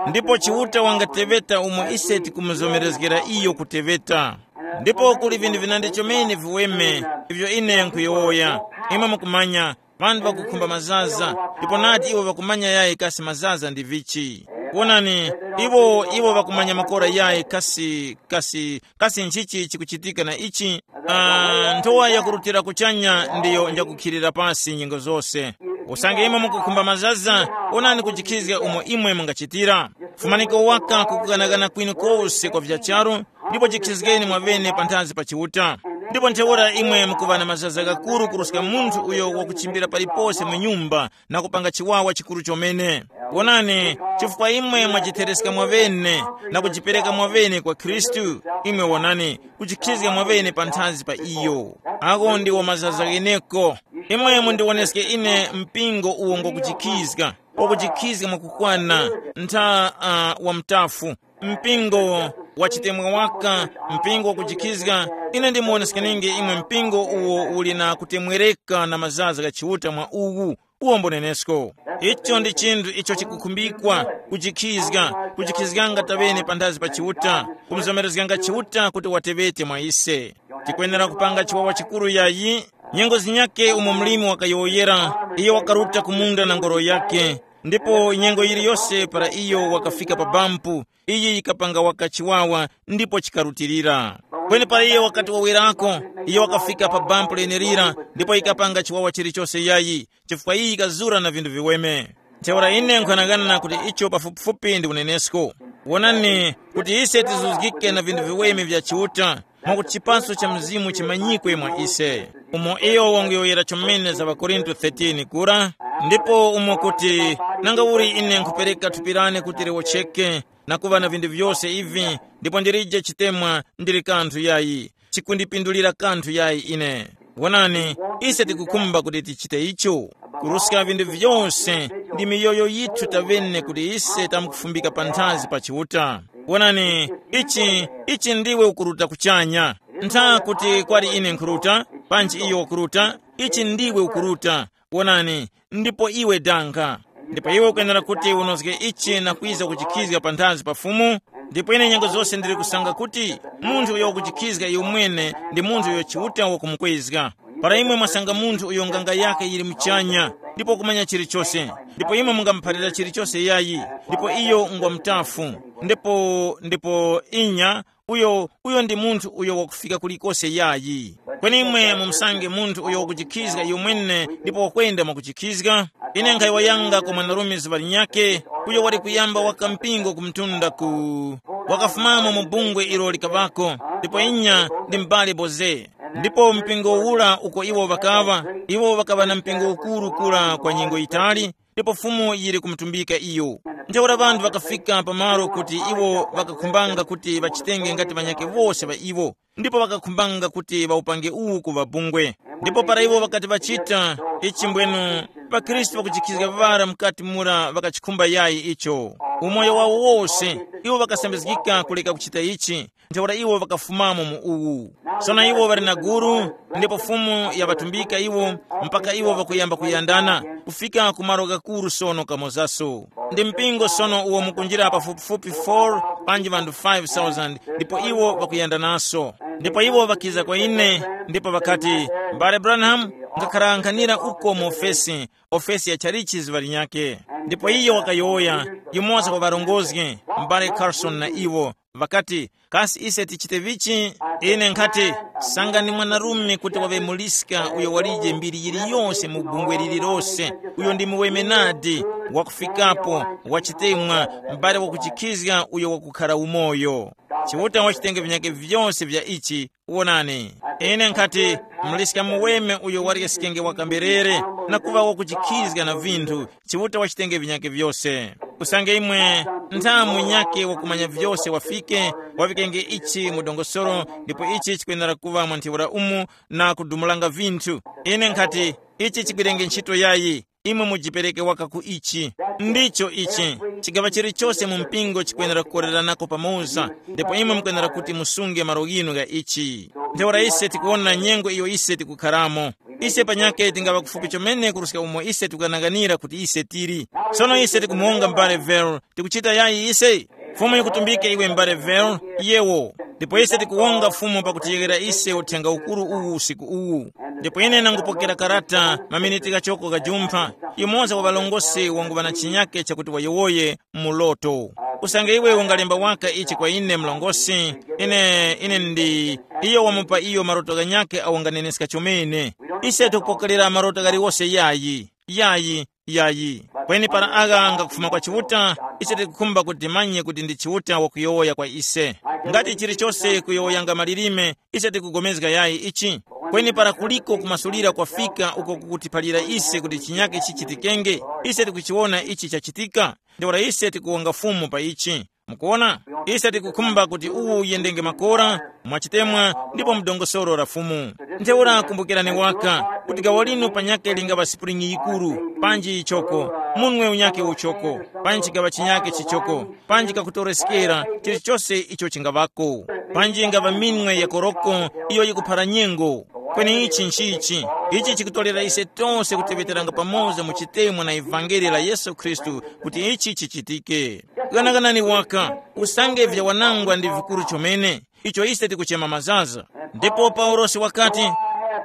Ndipo Chiuta wangateveta umo ise tikumuzomerezgera iyo kuteveta. Ndipo kuli vinthu vinandi chomene viweme ivyo ine nkuyowoya. Imwe mukumanya, vanthu vakukhumba mazaza, ndipo nati iwo vakumanya yayi kasi mazaza ndi vichi. Wonani, iwo iwo vakumanya makora yayi kasi kasi kasi nchichi chikuchitika na ichi. Ah, nthowa yakurutira kuchanya ndiyo njakukhilira pasi nyengo zose. Usange imwe mukukhumba mazaza, onani kujikhizga umo imwe mungachitira. Fumaniko waka kukukanakana kwinu kose kwa vya charu, ndipo jikhizgeni mwavene panthazi pa Chiuta. Ndipo ntheura imwe mukuŵa na mazaza ghakuru kuruska munthu uyo wakuchimbira palipose mu nyumba na kupanga chiwawa chikuru chomene. Wonani, chifukwa imwe mwajithereska mwavene na kujipereka mwavene kwa Khristu, imwe wonani, kujikhizga mwavene panthazi pa iyo. Agho ndiwo mazaza gheneko. Imwe mundiwoneske ine mpingo uwo ngokujikhizga, wakujikhizga mwakukwana, ntha uh, wa mtafu. Mpingo wa chitemwa waka, mpingo wakujikhizga, ine ndimuwoneskeninge imwe mpingo uwo uli na kutemwereka na mazaza gha Chiuta mwa uwu. Uwo mbonenesko. Icho ndi chinthu icho chikukhumbikwa, kujikhizga, kujikhizganga tavene panthazi pa Chiuta, kumuzomerezganga Chiuta kuti watevete mwa ise. Tikwenera kupanga chiwawa chikuru yayi. Nyengo zinyake umo mlimi wakayowoyera, iyo wakaruta ku munda na ngoro yake, ndipo nyengo yiliyose para iyo wakafika pa bampu, iyi yikapanga waka chiwawa ndipo chikarutilira. Kweni para iyo wakati wawerako, iyo wakafika pa bampu lenelira ndipo yikapanga chiwawa chilichose yayi, chifukwa iyi yikazura na vinthu viweme. Ntheura ine nkhanang'ana kuti icho pafupifupi ndi unenesko. Wonani, kuti ise tizuzgike na vinthu viweme vya Chiuta, mwakuti chipaso cha Mzimu chimanyikwe mwa ise. Umo iyo wanguyowoyera chomene za ŵakorinto thirteen kura, ndipo umo kuti, nanga uli ine nkhupereka thupi lane kuti liwocheke, na kuŵa na vinthu vyose ivi, ndipo ndilije chitemwa, ndili kanthu yayi, chikundipindulira kanthu yayi ine. Wonani, ise tikukhumba kuti tichite icho. kuruska vinthu vyose, ndi miyoyo yithu tavene kuti ise tamkufumbika panthazi pa Chiuta. Wonani, ichi, ichi ndiwe ukuruta kuchanya. Ntha kuti kwali ine nkhuruta, panji iyo wakuruta, ichi ndiwe ukuruta. Wonani, ndipo iwe danga. Ndipo iwe ukwenera kuti unozge ichi na kwiza kuchikhizga panthazi pa Fumu. Ndipo ine nyengo zose ndili kusanga kuti munthu uyo wakuchikhizga iyo mwene ndi munthu uyo Chiuta wakumukwezga. Para imwe mwasanga munthu uyo nganga yake yili muchanya, ndipo kumanya chilichose, ndipo imwe mungamuphalira chilichose yayi, ndipo iyo ngwa mutafu, ndipo ndipo inya, uyo uyo ndi munthu uyo wakufika kulikose yayi. Kweni imwe mumusange munthu uyo wakuchikhizga iyo mwene ndipo wakwenda mwakuchikhizga. Ine nkhayowoyanga kwa mwanarume zuŵa linyakhe, uyo wali kuyamba waka mpingo ku mtunda ku, wakafumamo mu bungwe ilo likaŵako, ndipo inya ndi m'bale Boze. Ndipo mpingo ura uko iwo ŵakaŵa, iwo ŵakaŵa na mpingo ukuru kura kwa nyengo yitali, ndipo Fumu yili kumutumbika iyo. Ntheura ŵanthu ŵakafika pamalo kuti iwo ŵakakhumbanga kuti ŵachitenge ngati ŵanyakhe wose ŵa iwo, ndipo ŵakakhumbanga kuti ŵawupange uwu kuŵa bungwe. Ndipo para iwo ŵakati ŵachita ichi, mbwenu ŵakhristu ŵakujikhizga ŵara mukati mura ŵakachikhumba yayi icho. Umoyo wawo wose, iwo ŵakasambizgika kuleka kuchita ichi. Ntheura iwo ŵakafumamo mu uwu. Sono iwo ŵali na guru, ndipo Fumu yaŵatumbika iwo, mpaka iwo ŵakuyamba kuyandana, kufika ku malo ghakuru sono kamozaso. Ndi mpingo sono uwo mukunjira pafupifupi four panji ŵanthu five thousand, ndipo iwo ŵakuyandanaso. Ndipo iwo ŵakiza kwa ine, ndipo ŵakati, "M'bale Branham, ngakharankhanira uko mu ofesi, ofesi ya chalichi zuŵa linyakhe." Ndipo iyo wakayowoya, yumoza wa ŵarongozgi, m'bale Carson na iwo, ŵakati, "Kasi ise tichite vichi?" Ine nkhati, "Sangani mwanarume kuti waŵe muliska uyo walije mbiri yiliyose mu bungwe lililose, uyo ndi muweme nadi, wakufikapo, wachitemwa, m'bale wakuchikhizga uyo wakukhara umoyo. Chiuta wachitenge vinyakhe vyose vya ichi, wonani." Ine nkhati, "Muliska muweme uyo wali sikenge wakamberere, na kuŵa wakuchikhizga na vinthu, Chiuta wachitenge vinyakhe vyose." Usange imwe nthamu nyakhe wakumanya vyose wafike, waŵikenge ichi mu dongosolo, ndipo ichi chikwenera kuŵa mwa ntheura umu na kudumulanga vinthu. Ine nkhati, ichi chigwirenge ntchito yayi, imwe mujipereke waka ku ichi. Ndicho ichi, chigaŵa chilichose mu mpingo chikwenera kukoreranako pamoza, ndipo imwe mukwenera kuti musunge malo ghinu gha ichi. Ntheura ise tikuwona nyengo iyo ise tikukharamo. Ise panyakhe tingaŵa kufupi chomene kuruska umo ise tikukananganira kuti ise tili. Sono ise tikumuwonga m'bale Vero, tikuchita yayi ise? Fumu yikutumbike iwe m'bale Vero, yewo. Ndipo ise tikuwonga Fumu pakutiyeghera ise uthenga ukuru uwu usiku uwu. Ndipo ine nangupokera karata maminiti ghachoko ghajumpha, yumoza wa ŵalongosi wanguŵa na chinyakhe chakuti wayowoye mu loto. Usange iwe ungalemba waka ichi kwa ine mlongosi, ine, ine ndi, iyo wamupa iyo maroto ghanyakhe awo nganeneska chomene. Ise tikupokerera maroto ghaliwose yayi, yayi, yayi. Kweni para agha ngakufuma kwa Chiuta, ise tikukhumba kuti timanye kuti ndi Chiuta wakuyowoya kwa ise. Ngati chilichose kuyowoyanga malilime, ise tikugomezga yayi ichi. Kweni para kuliko kumasulira kwafika uko kukutiphalira ise kuti chinyakhe chichitikenge, ise tikuchiwona ichi chachitika. Ntheura ise tikuwonga Fumu pa ichi. Mukuwona? Ise tikukhumba kuti uwu uyendenge makora, mwachitemwa, ndipo mu dongosolo la Fumu. Ntheura kumbukirani waka, kuti gawo linu panyakhe lingaŵa sipulingi yikuru, panji yichoko, munwe unyakhe uchoko, panji chikaŵa chinyakhe chichoko, panji kakutoreskera, chilichose icho chingaŵako, panji ingaŵa minwe ya koroko iyo yikuphara nyengo. Kweni ichi nchichi, ichi chikutorera ise tose kuteŵeteranga pamoza mu chitemwa na ivangeli la Yesu Khristu kuti ichi chichitike. Ghanaganani waka, usange vyawanangwa ndi vikuru chomene, icho ise tikuchema mazaza. Ndipo Paulosi wakati,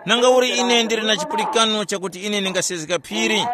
"Nanga uli ine ndili na chipulikano chakuti ine ndingasezga phiri,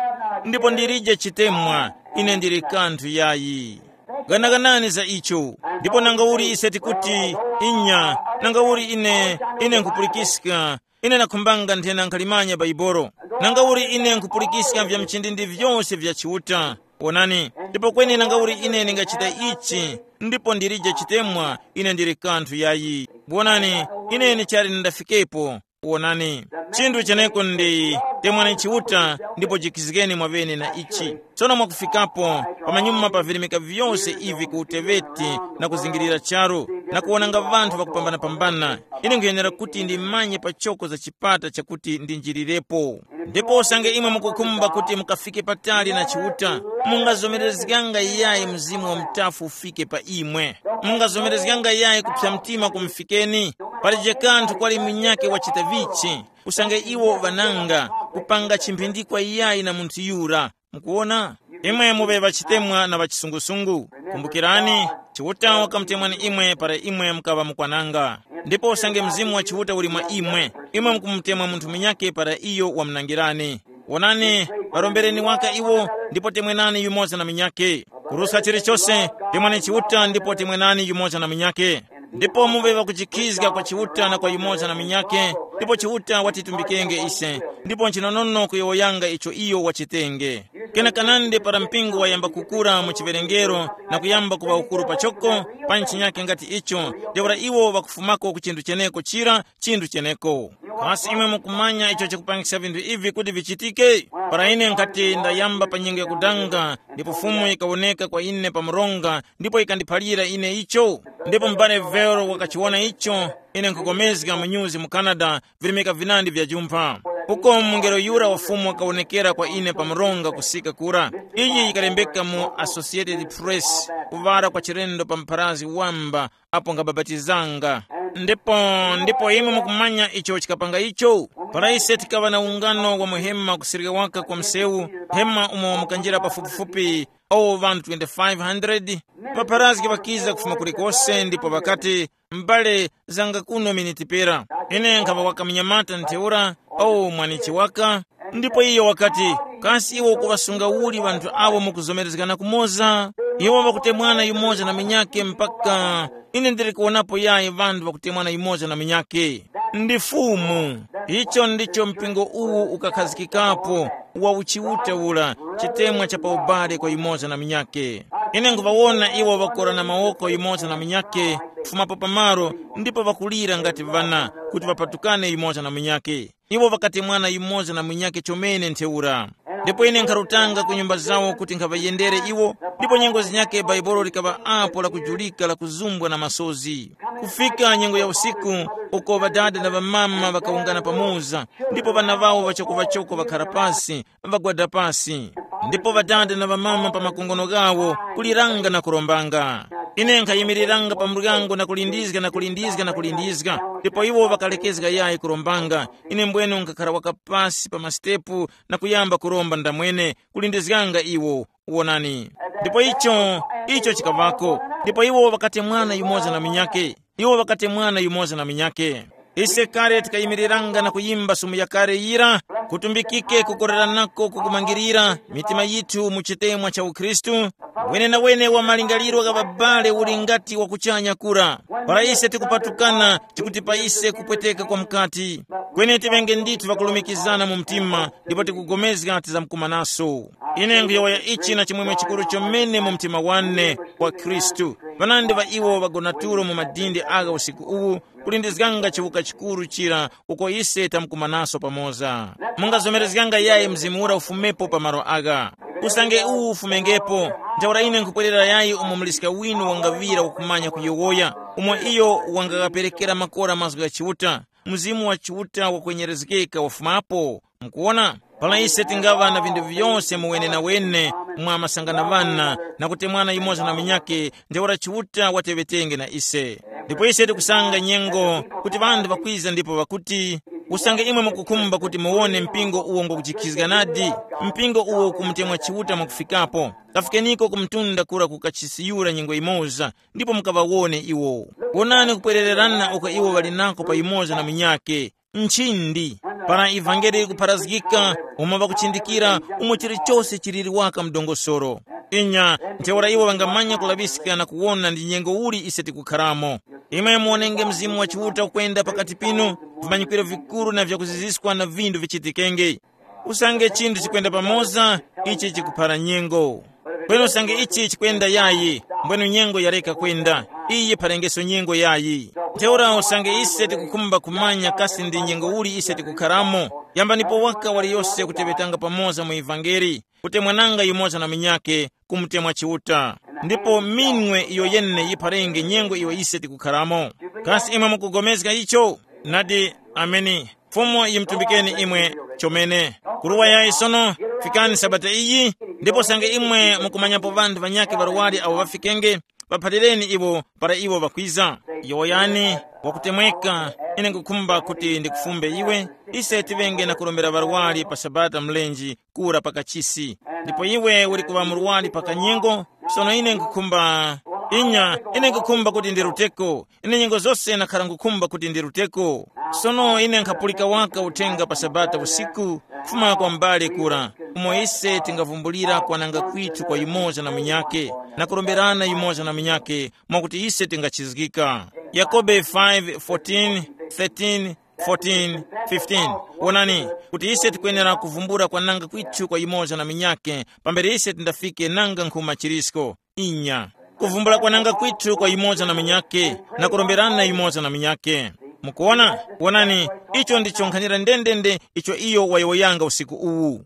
ndipo ndilije chitemwa, ine ndili kanthu yayi." Ghanaganani za icho. Ndipo nanga uli ise tikuti, "Inya, nanga uli ine, ine nkhupulikiska, ine nakhumbanga nthena nkhalimanya Baibolo. Nanga uli ine nkhupulikiska vya mchindindi vyose vya Chiuta. Wonani, ndipo kweni nanga uli ine ndingachita ichi, ndipo ndilije chitemwa, ine ndili kanthu yayi. Wonani, ine ndichali ndafikepo." Wonani, chinthu cheneko ndi, temwani Chiuta, ndipo jikizgeni mwaŵene na ichi. Tsono mwakufikapo, pamanyuma pavirimika vyose ivi ku uteweti na kuzingirira charu, na kuwonanga ŵanthu ŵakupambanapambana. Ine nkhuyenera kuti ndimanye pachoko za chipata chakuti ndinjirirepo. Ndipo usange imwe mukukhumba kuti mukafike patali na Chiuta, mungazomerezganga yayi Mzimu wa Mutafu ufike pa imwe. Mungazomerezganga yayi kupsa mtima kumufikeni. Palije kanthu kwali munyakhe wachita vichi, usange iwo ŵananga kupanga chimphindikwa yayi na munthu yura. Mukuwona? Imwe muŵe ŵachitemwa na ŵachisungusungu. Kumbukirani, Chiuta wakamutemwani imwe para imwe mukaŵa mukwananga. Ndipo usange Mzimu wa Chiuta uli mwa imwe, imwe mukumutemwa munthu munyakhe para iyo wamunangirani. Wonani, ŵarombereni waka iwo, ndipo temwenani yumoza na munyakhe. Kuruska chilichose, temwani Chiuta ndipo temwenani yumoza na munyakhe. Ndipo muŵe ŵakujikhizga kwa Chiuta na kwa yumoza na munyakhe, ndipo Chiuta watitumbikenge ise, ndipo nchinonono kuyowoyanga icho iyo wachitenge. Kena kanandi para mpingo wayamba kukura mu chiwerengero na kuyamba kuŵa ukuru pachoko, pa ntchinyake ngati icho, ntheura iwo ŵakufumako ku chinthu cheneko chira, chinthu cheneko. Kasi imwe mukumanya icho chikupangisa vinthu ivi kuti vichitike? Para ine nkhati ndayamba pa nyengo yakudanga, ndipo Fumu yikawoneka kwa ine pa mronga, ndipo yikandiphalira ine icho. Ndipo m'bale Vero wakachiwona icho, ine nkhukomezga mu nyuzi mu Canada, virimika vinandi vya jumpha. Uko mungelo yura wa Fumu wakawonekera kwa ine pa mronga kusika kura. Iyi yikalembeka mu Associated Press, kuŵala kwa chilendo pa mpharazgi wamba, apo nkhabapatizanga. Ndipo, ndipo imwe mukumanya icho chikapanga icho? Para ise tikaŵa na ungano wa muhema kusirika waka kwa msewu, hema umo mukanjira pafupifupi owo ŵanthu twenty-five hundred, ŵapharazgi ŵakiza kufuma kulikose ndipo ŵakati, m'bale, zanga kuno miniti pera. Ine nkhaŵa waka munyamata ntheura, owo mwanichi waka, ndipo iyo wakati, kasi iwe ukuŵasunga uli ŵanthu awo mukuzomerezgana kumoza? Iwo ŵakutemwana yumoza na munyakhe mpaka ine ndili kuwonapo yayi ŵanthu ŵakutemwana yumoza na munyakhe. Ndi Fumu. Icho ndicho mpingo uwu ukakhazikikapo, wa uchiuta ula, chitemwa cha pa ubale kwa yumoza na munyakhe. Ine nkhuŵawona iwo ŵakorana mawoko yumoza na munyakhe, kufumapo pamalo, ndipo ŵakulira ngati ŵana, kuti ŵapatukane yumoza na munyakhe. Iwo ŵakatemwana yumoza na munyakhe chomene ntheura. Ndipo ine nkharutanga ku nyumba zawo kuti nkhaŵayendere iwo, ndipo nyengo zinyakhe Bhaibuli likaŵa apo lakujulika lakuzumbwa na masozi. Kufika nyengo ya usiku, uko ŵadada na ŵamama ŵakawungana pamoza, ndipo ŵana ŵawo ŵachoko-ŵachoko ŵakhara pasi, ŵagwada pasi. Ndipo ŵadada na ŵamama pa makongono ghawo kuliranga na kurombanga. Ine nkhayimiriranga pa muryango na kulindizga na kulindizga na kulindizga, ndipo iwo ŵakalekezga yayi kurombanga. Ine mbwenu nkhakhara waka pasi pa masitepu na kuyamba kuromba ndamwene, kulindizganga iwo. Wonani. Ndipo icho, icho chikaŵako. Ndipo iwo ŵakatemwana yumoza na munyakhe. Iwo ŵakatemwana yumoza na munyakhe. Ise kale tikayimiriranga na kuyimba sumu yakale yira, kutumbikike kukoreranako kukumangirira mitima yithu mu chitemwa cha ukhristu. Wenenawene wa malingaliro gha ŵabale uli ngati wa kuchanya kura. Para ise tikupatukana, tikuti pa ise kupweteka kwa mukati. Kweni tiŵenge ndithu ŵakulumikizana mu mtima, ndipo tikugomezga tizamkumanaso. Ine nkhuyowoya ichi na chimwemwe chikuru chomene mu mtima wane, kwa Khristu. Ŵanandi ŵa iwo ŵagona tulo mu madindi agha usiku uwu, kulindizganga chiwuka chikuru chira uko ise tamkumanaso pamoza. Mungazomerezganga yayi Mzimu ura ufumepo pa malo agha. Usange uwu ufumengepo, ntheura ine nkhupwerera yayi umo muliska winu wangaŵira wakumanya kuyowoya, umo iyo wangaghaperekera makora mazgu gha Chiuta, Mzimu wa Chiuta wakwenyerezgeka wafumapo. Mukuwona? Para ise tingaŵa na vinthu vyose mu wenenawene mwa masangana ŵana, na kutemwana yumoza na munyakhe, ntheura Chiuta wateŵetenge na ise. Ndipo ise tikusanga nyengo kuti ŵanthu ŵakwiza ndipo ŵakuti, usange imwe mukukhumba kuti muwone mpingo uwo ngokujikhizga nadi, mpingo uwo ukumutemwa Chiuta mwakufikapo, kafikeniko ku mtunda kura ku kachisiyura nyengo yimoza, ndipo mukaŵawone iwo. Wonani kupwerererana uko iwo ŵali nako pa yumoza na munyakhe. Nchindi, para ivangeli likupharazgika, umo ŵakuchindikira, umo chilichose chiliri waka mdongosoro. Inya, ntheura iwo ŵangamanya kulaŵiska na kuwona ndi nyengo uli ise tikukharamo. Imwe muwonenge Mzimu wa Chiuta ukwenda pakati pinu, vimanyikwiro vikuru na vyakuziziskwa na vindu vichitikenge. Usange chinthu chikwenda pamoza, ichi chikuphara nyengo. Kweni usange ichi chikwenda yayi, mbwenu nyengo yareka kwenda, iyi phalengeso nyengo yayi. Ntheura usange ise tikukhumba kumanya kasi ndi nyengo uli ise tikukharamo, yambanipo waka waliyose kuteŵetanga pamoza mu ivangeli, kutemwananga yumoza na munyakhe, kumutemwa Chiuta. Ndipo minwe iyo yene yipharenge nyengo iyo ise tikukharamo. Kasi imwe mukugomezga icho? Nadi, ameni. Fumu yimutumbikeni imwe chomene. Kuruwa yayi sono, fikani sabata iyi, ndipo sange imwe mukumanyapo ŵanthu ŵanyakhe ŵarwari awo ŵafikenge, ŵaphalireni iwo para iwo ŵakwiza. Yowoyani, wakutemweka, ine nkhukhumba kuti ndikufumbe iwe, ise tiŵenge na kurombera ŵarwari pa sabata mlenji kura pa kachisi. Ndipo iwe uli kuŵa murwari pa kanyengo, sono ine nkhukhumba, inya, ine nkhukhumba kuti ndiruteko. Ine nyengo zose nakhara nkhukhumba kuti ndiruteko. Sono ine nkhapulika waka uthenga pa sabata usiku, kufuma kwa m'bale kura, umo ise tingavumbulira kwananga kwithu kwa yumoza na munyakhe, na kuromberana yumoza na munyakhe, mwakuti ise tingachizgika. Yakobe five, fourteen, thirteen, fourteen, fifteen. Wonani, kuti ise tikwenera kuvumbula kwananga kwithu kwa yumoza na munyakhe, pambere ise tindafike nanga nkhuma chilisko. Inya, kuvumbula kwananga kwithu kwa yumoza na munyakhe, na kuromberana yumoza na munyakhe. Mukuona? Wonani, icho ndicho nkhanira ndendende icho iyo wayowoyanga usiku uwu.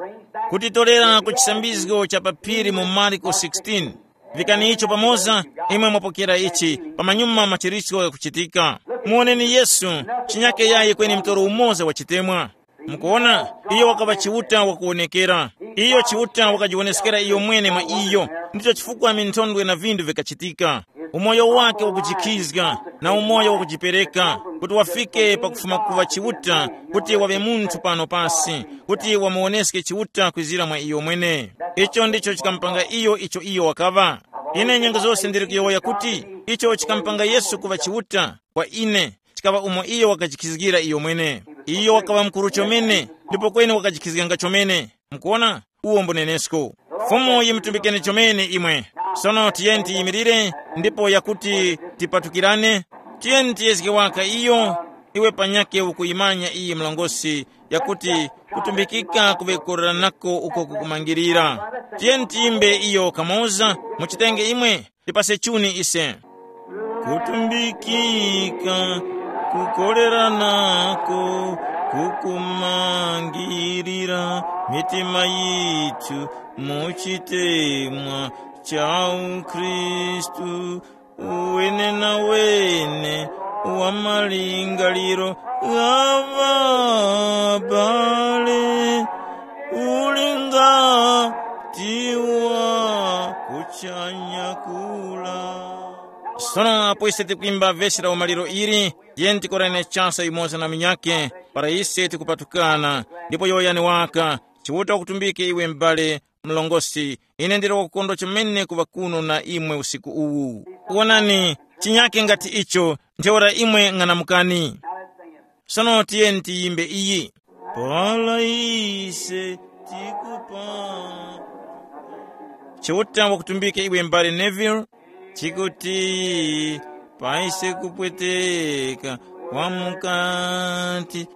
Kutitorera ku chisambizgo cha pa phiri mu Marko sixteen. Vikani icho pamoza, imwe mwapokera ichi, pamanyuma machiritso ghakuchitika. Muwoneni Yesu, chinyake yayi kweni mtoro umoza wa chitemwa. Mukuona, iyo wakaŵa Chiuta wakuwonekera. Iyo Chiuta wakajiwoneskera iyo mwene mwa iyo. Ndicho chifukwa minthondwe na vinthu vikachitika. Umoyo wake wakujikhizga, na umoyo wakujipereka, kuti wafike pakufuma kuŵa Chiuta, kuti waŵe munthu pano pasi, kuti wamuwoneske Chiuta kwizira mwa iyo mwene. Icho ndicho chikamupanga iyo icho iyo wakaŵa. Ine nyengo zose ndili kuyowoya kuti icho chikamupanga Yesu kuŵa Chiuta kwa ine, chikaŵa umo iyo wakajikhizgira iyo mwene. Iyo wakaŵa mukuru chomene, ndipo kweni wakajikhizganga chomene. Mukuona? Uwo mbunenesko. Fumu yimutumbikeni chomene imwe. Sono tiyeni tiyimirire, ndipo yakuti tipatukirane, tiyeni tiyezge waka iyo, iwe panyakhe ukuyimanya iyi mlongosi, yakuti kutumbikika kuŵekoreranako uko kukumangirira. Tiyeni tiyimbe iyo kamoza, muchitenge imwe, tipase chuni ise. Kutumbikika, kukoleranako, kukumangirira mitima yithu mu chitemwa cha ukhristu, uwene na wene wa malingaliro gha ŵabale, uli ngati wa kuchanya kula. Sono apo ise tikwimba vesi la umaliro ili, tiyeni tikorane chasa yumoza na munyakhe, para ise tikupatukana, ndipo yowoyani waka, Chiuta wakutumbike iwe m'bale mlongosi, ine ndili wakukondwa chomene kuŵa kuno na imwe usiku uwu. Wonani, chinyake ngati icho, ntheura imwe ng'anamukani. Sono tiyeni tiyimbe iyi. Para ise tikupa. Chiuta wakutumbike iwe m'bale Neville, chikuti paise kupweteka kwa mukati,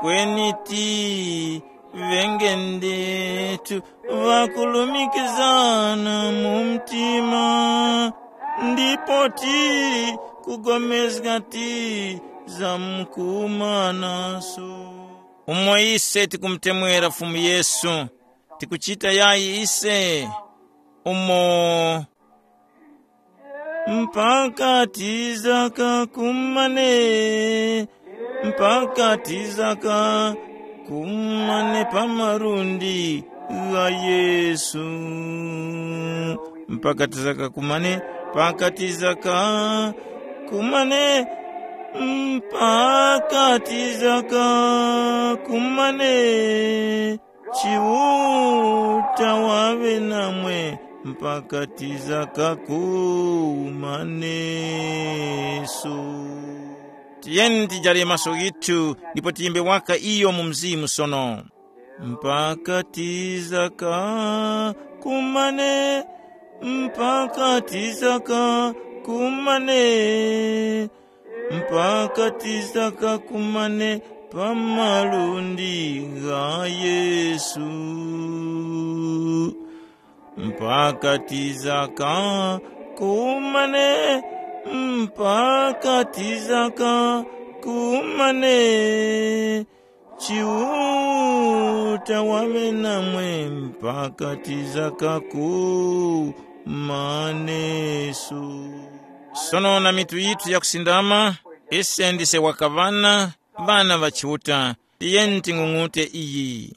kweni ti ŵenge ndetu ŵakulumikizana mu mtima, ndipo ti kugomezga ti zamkumanaso. Umo ise tikumutemwera Fumu Yesu, tikuchita yayi ise umo mpaka tizaka kumane, mpaka tizaka kumane pa malundi gha Yesu. Mpaka tizaka kumane, mpaka tizaka kumane, mpaka tizaka kumane. Chiuta waŵe namwe mpaka tizaka kumaneso. Tiyeni tijare maso ghithu ndipo tiyimbe waka iyo mu mzimu sono. Mpaka tizaka kumane, mpaka tizaka kumane, mpaka tizaka kumane pa malundi gha Yesu. Mpaka tizaka kumane, mpaka tizaka kumane. Chiuta waŵe namwe mpaka tizaka kumane. maneso. Sono na mitu yithu yakusindama, ise ndise wakaŵana, ŵana ŵa Chiuta, tiyeni ting'ung'ute iyi.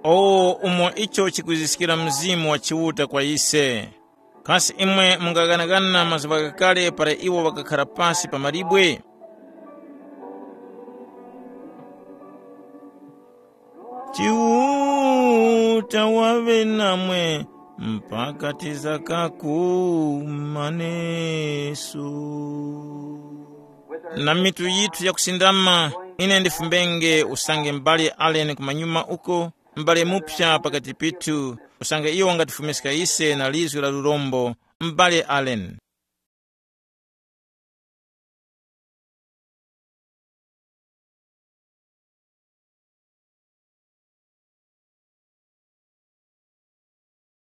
O umo icho chikwiziskira Mzimu wa Chiuta kwa ise! Kasi imwe mungaghanaghana mazuŵa ghakale para iwo ŵakakhara pasi pa mawe? Chiuta waŵe namwe mpaka tizakakumaneso. Na mitu yithu yakusindama, ine ndifumbenge usange m'bale Allen kumanyuma uko, m'bale muphya pakati pithu, usange iyo wangatifumiska ise na lizgu la lurombo, m'bale Allen.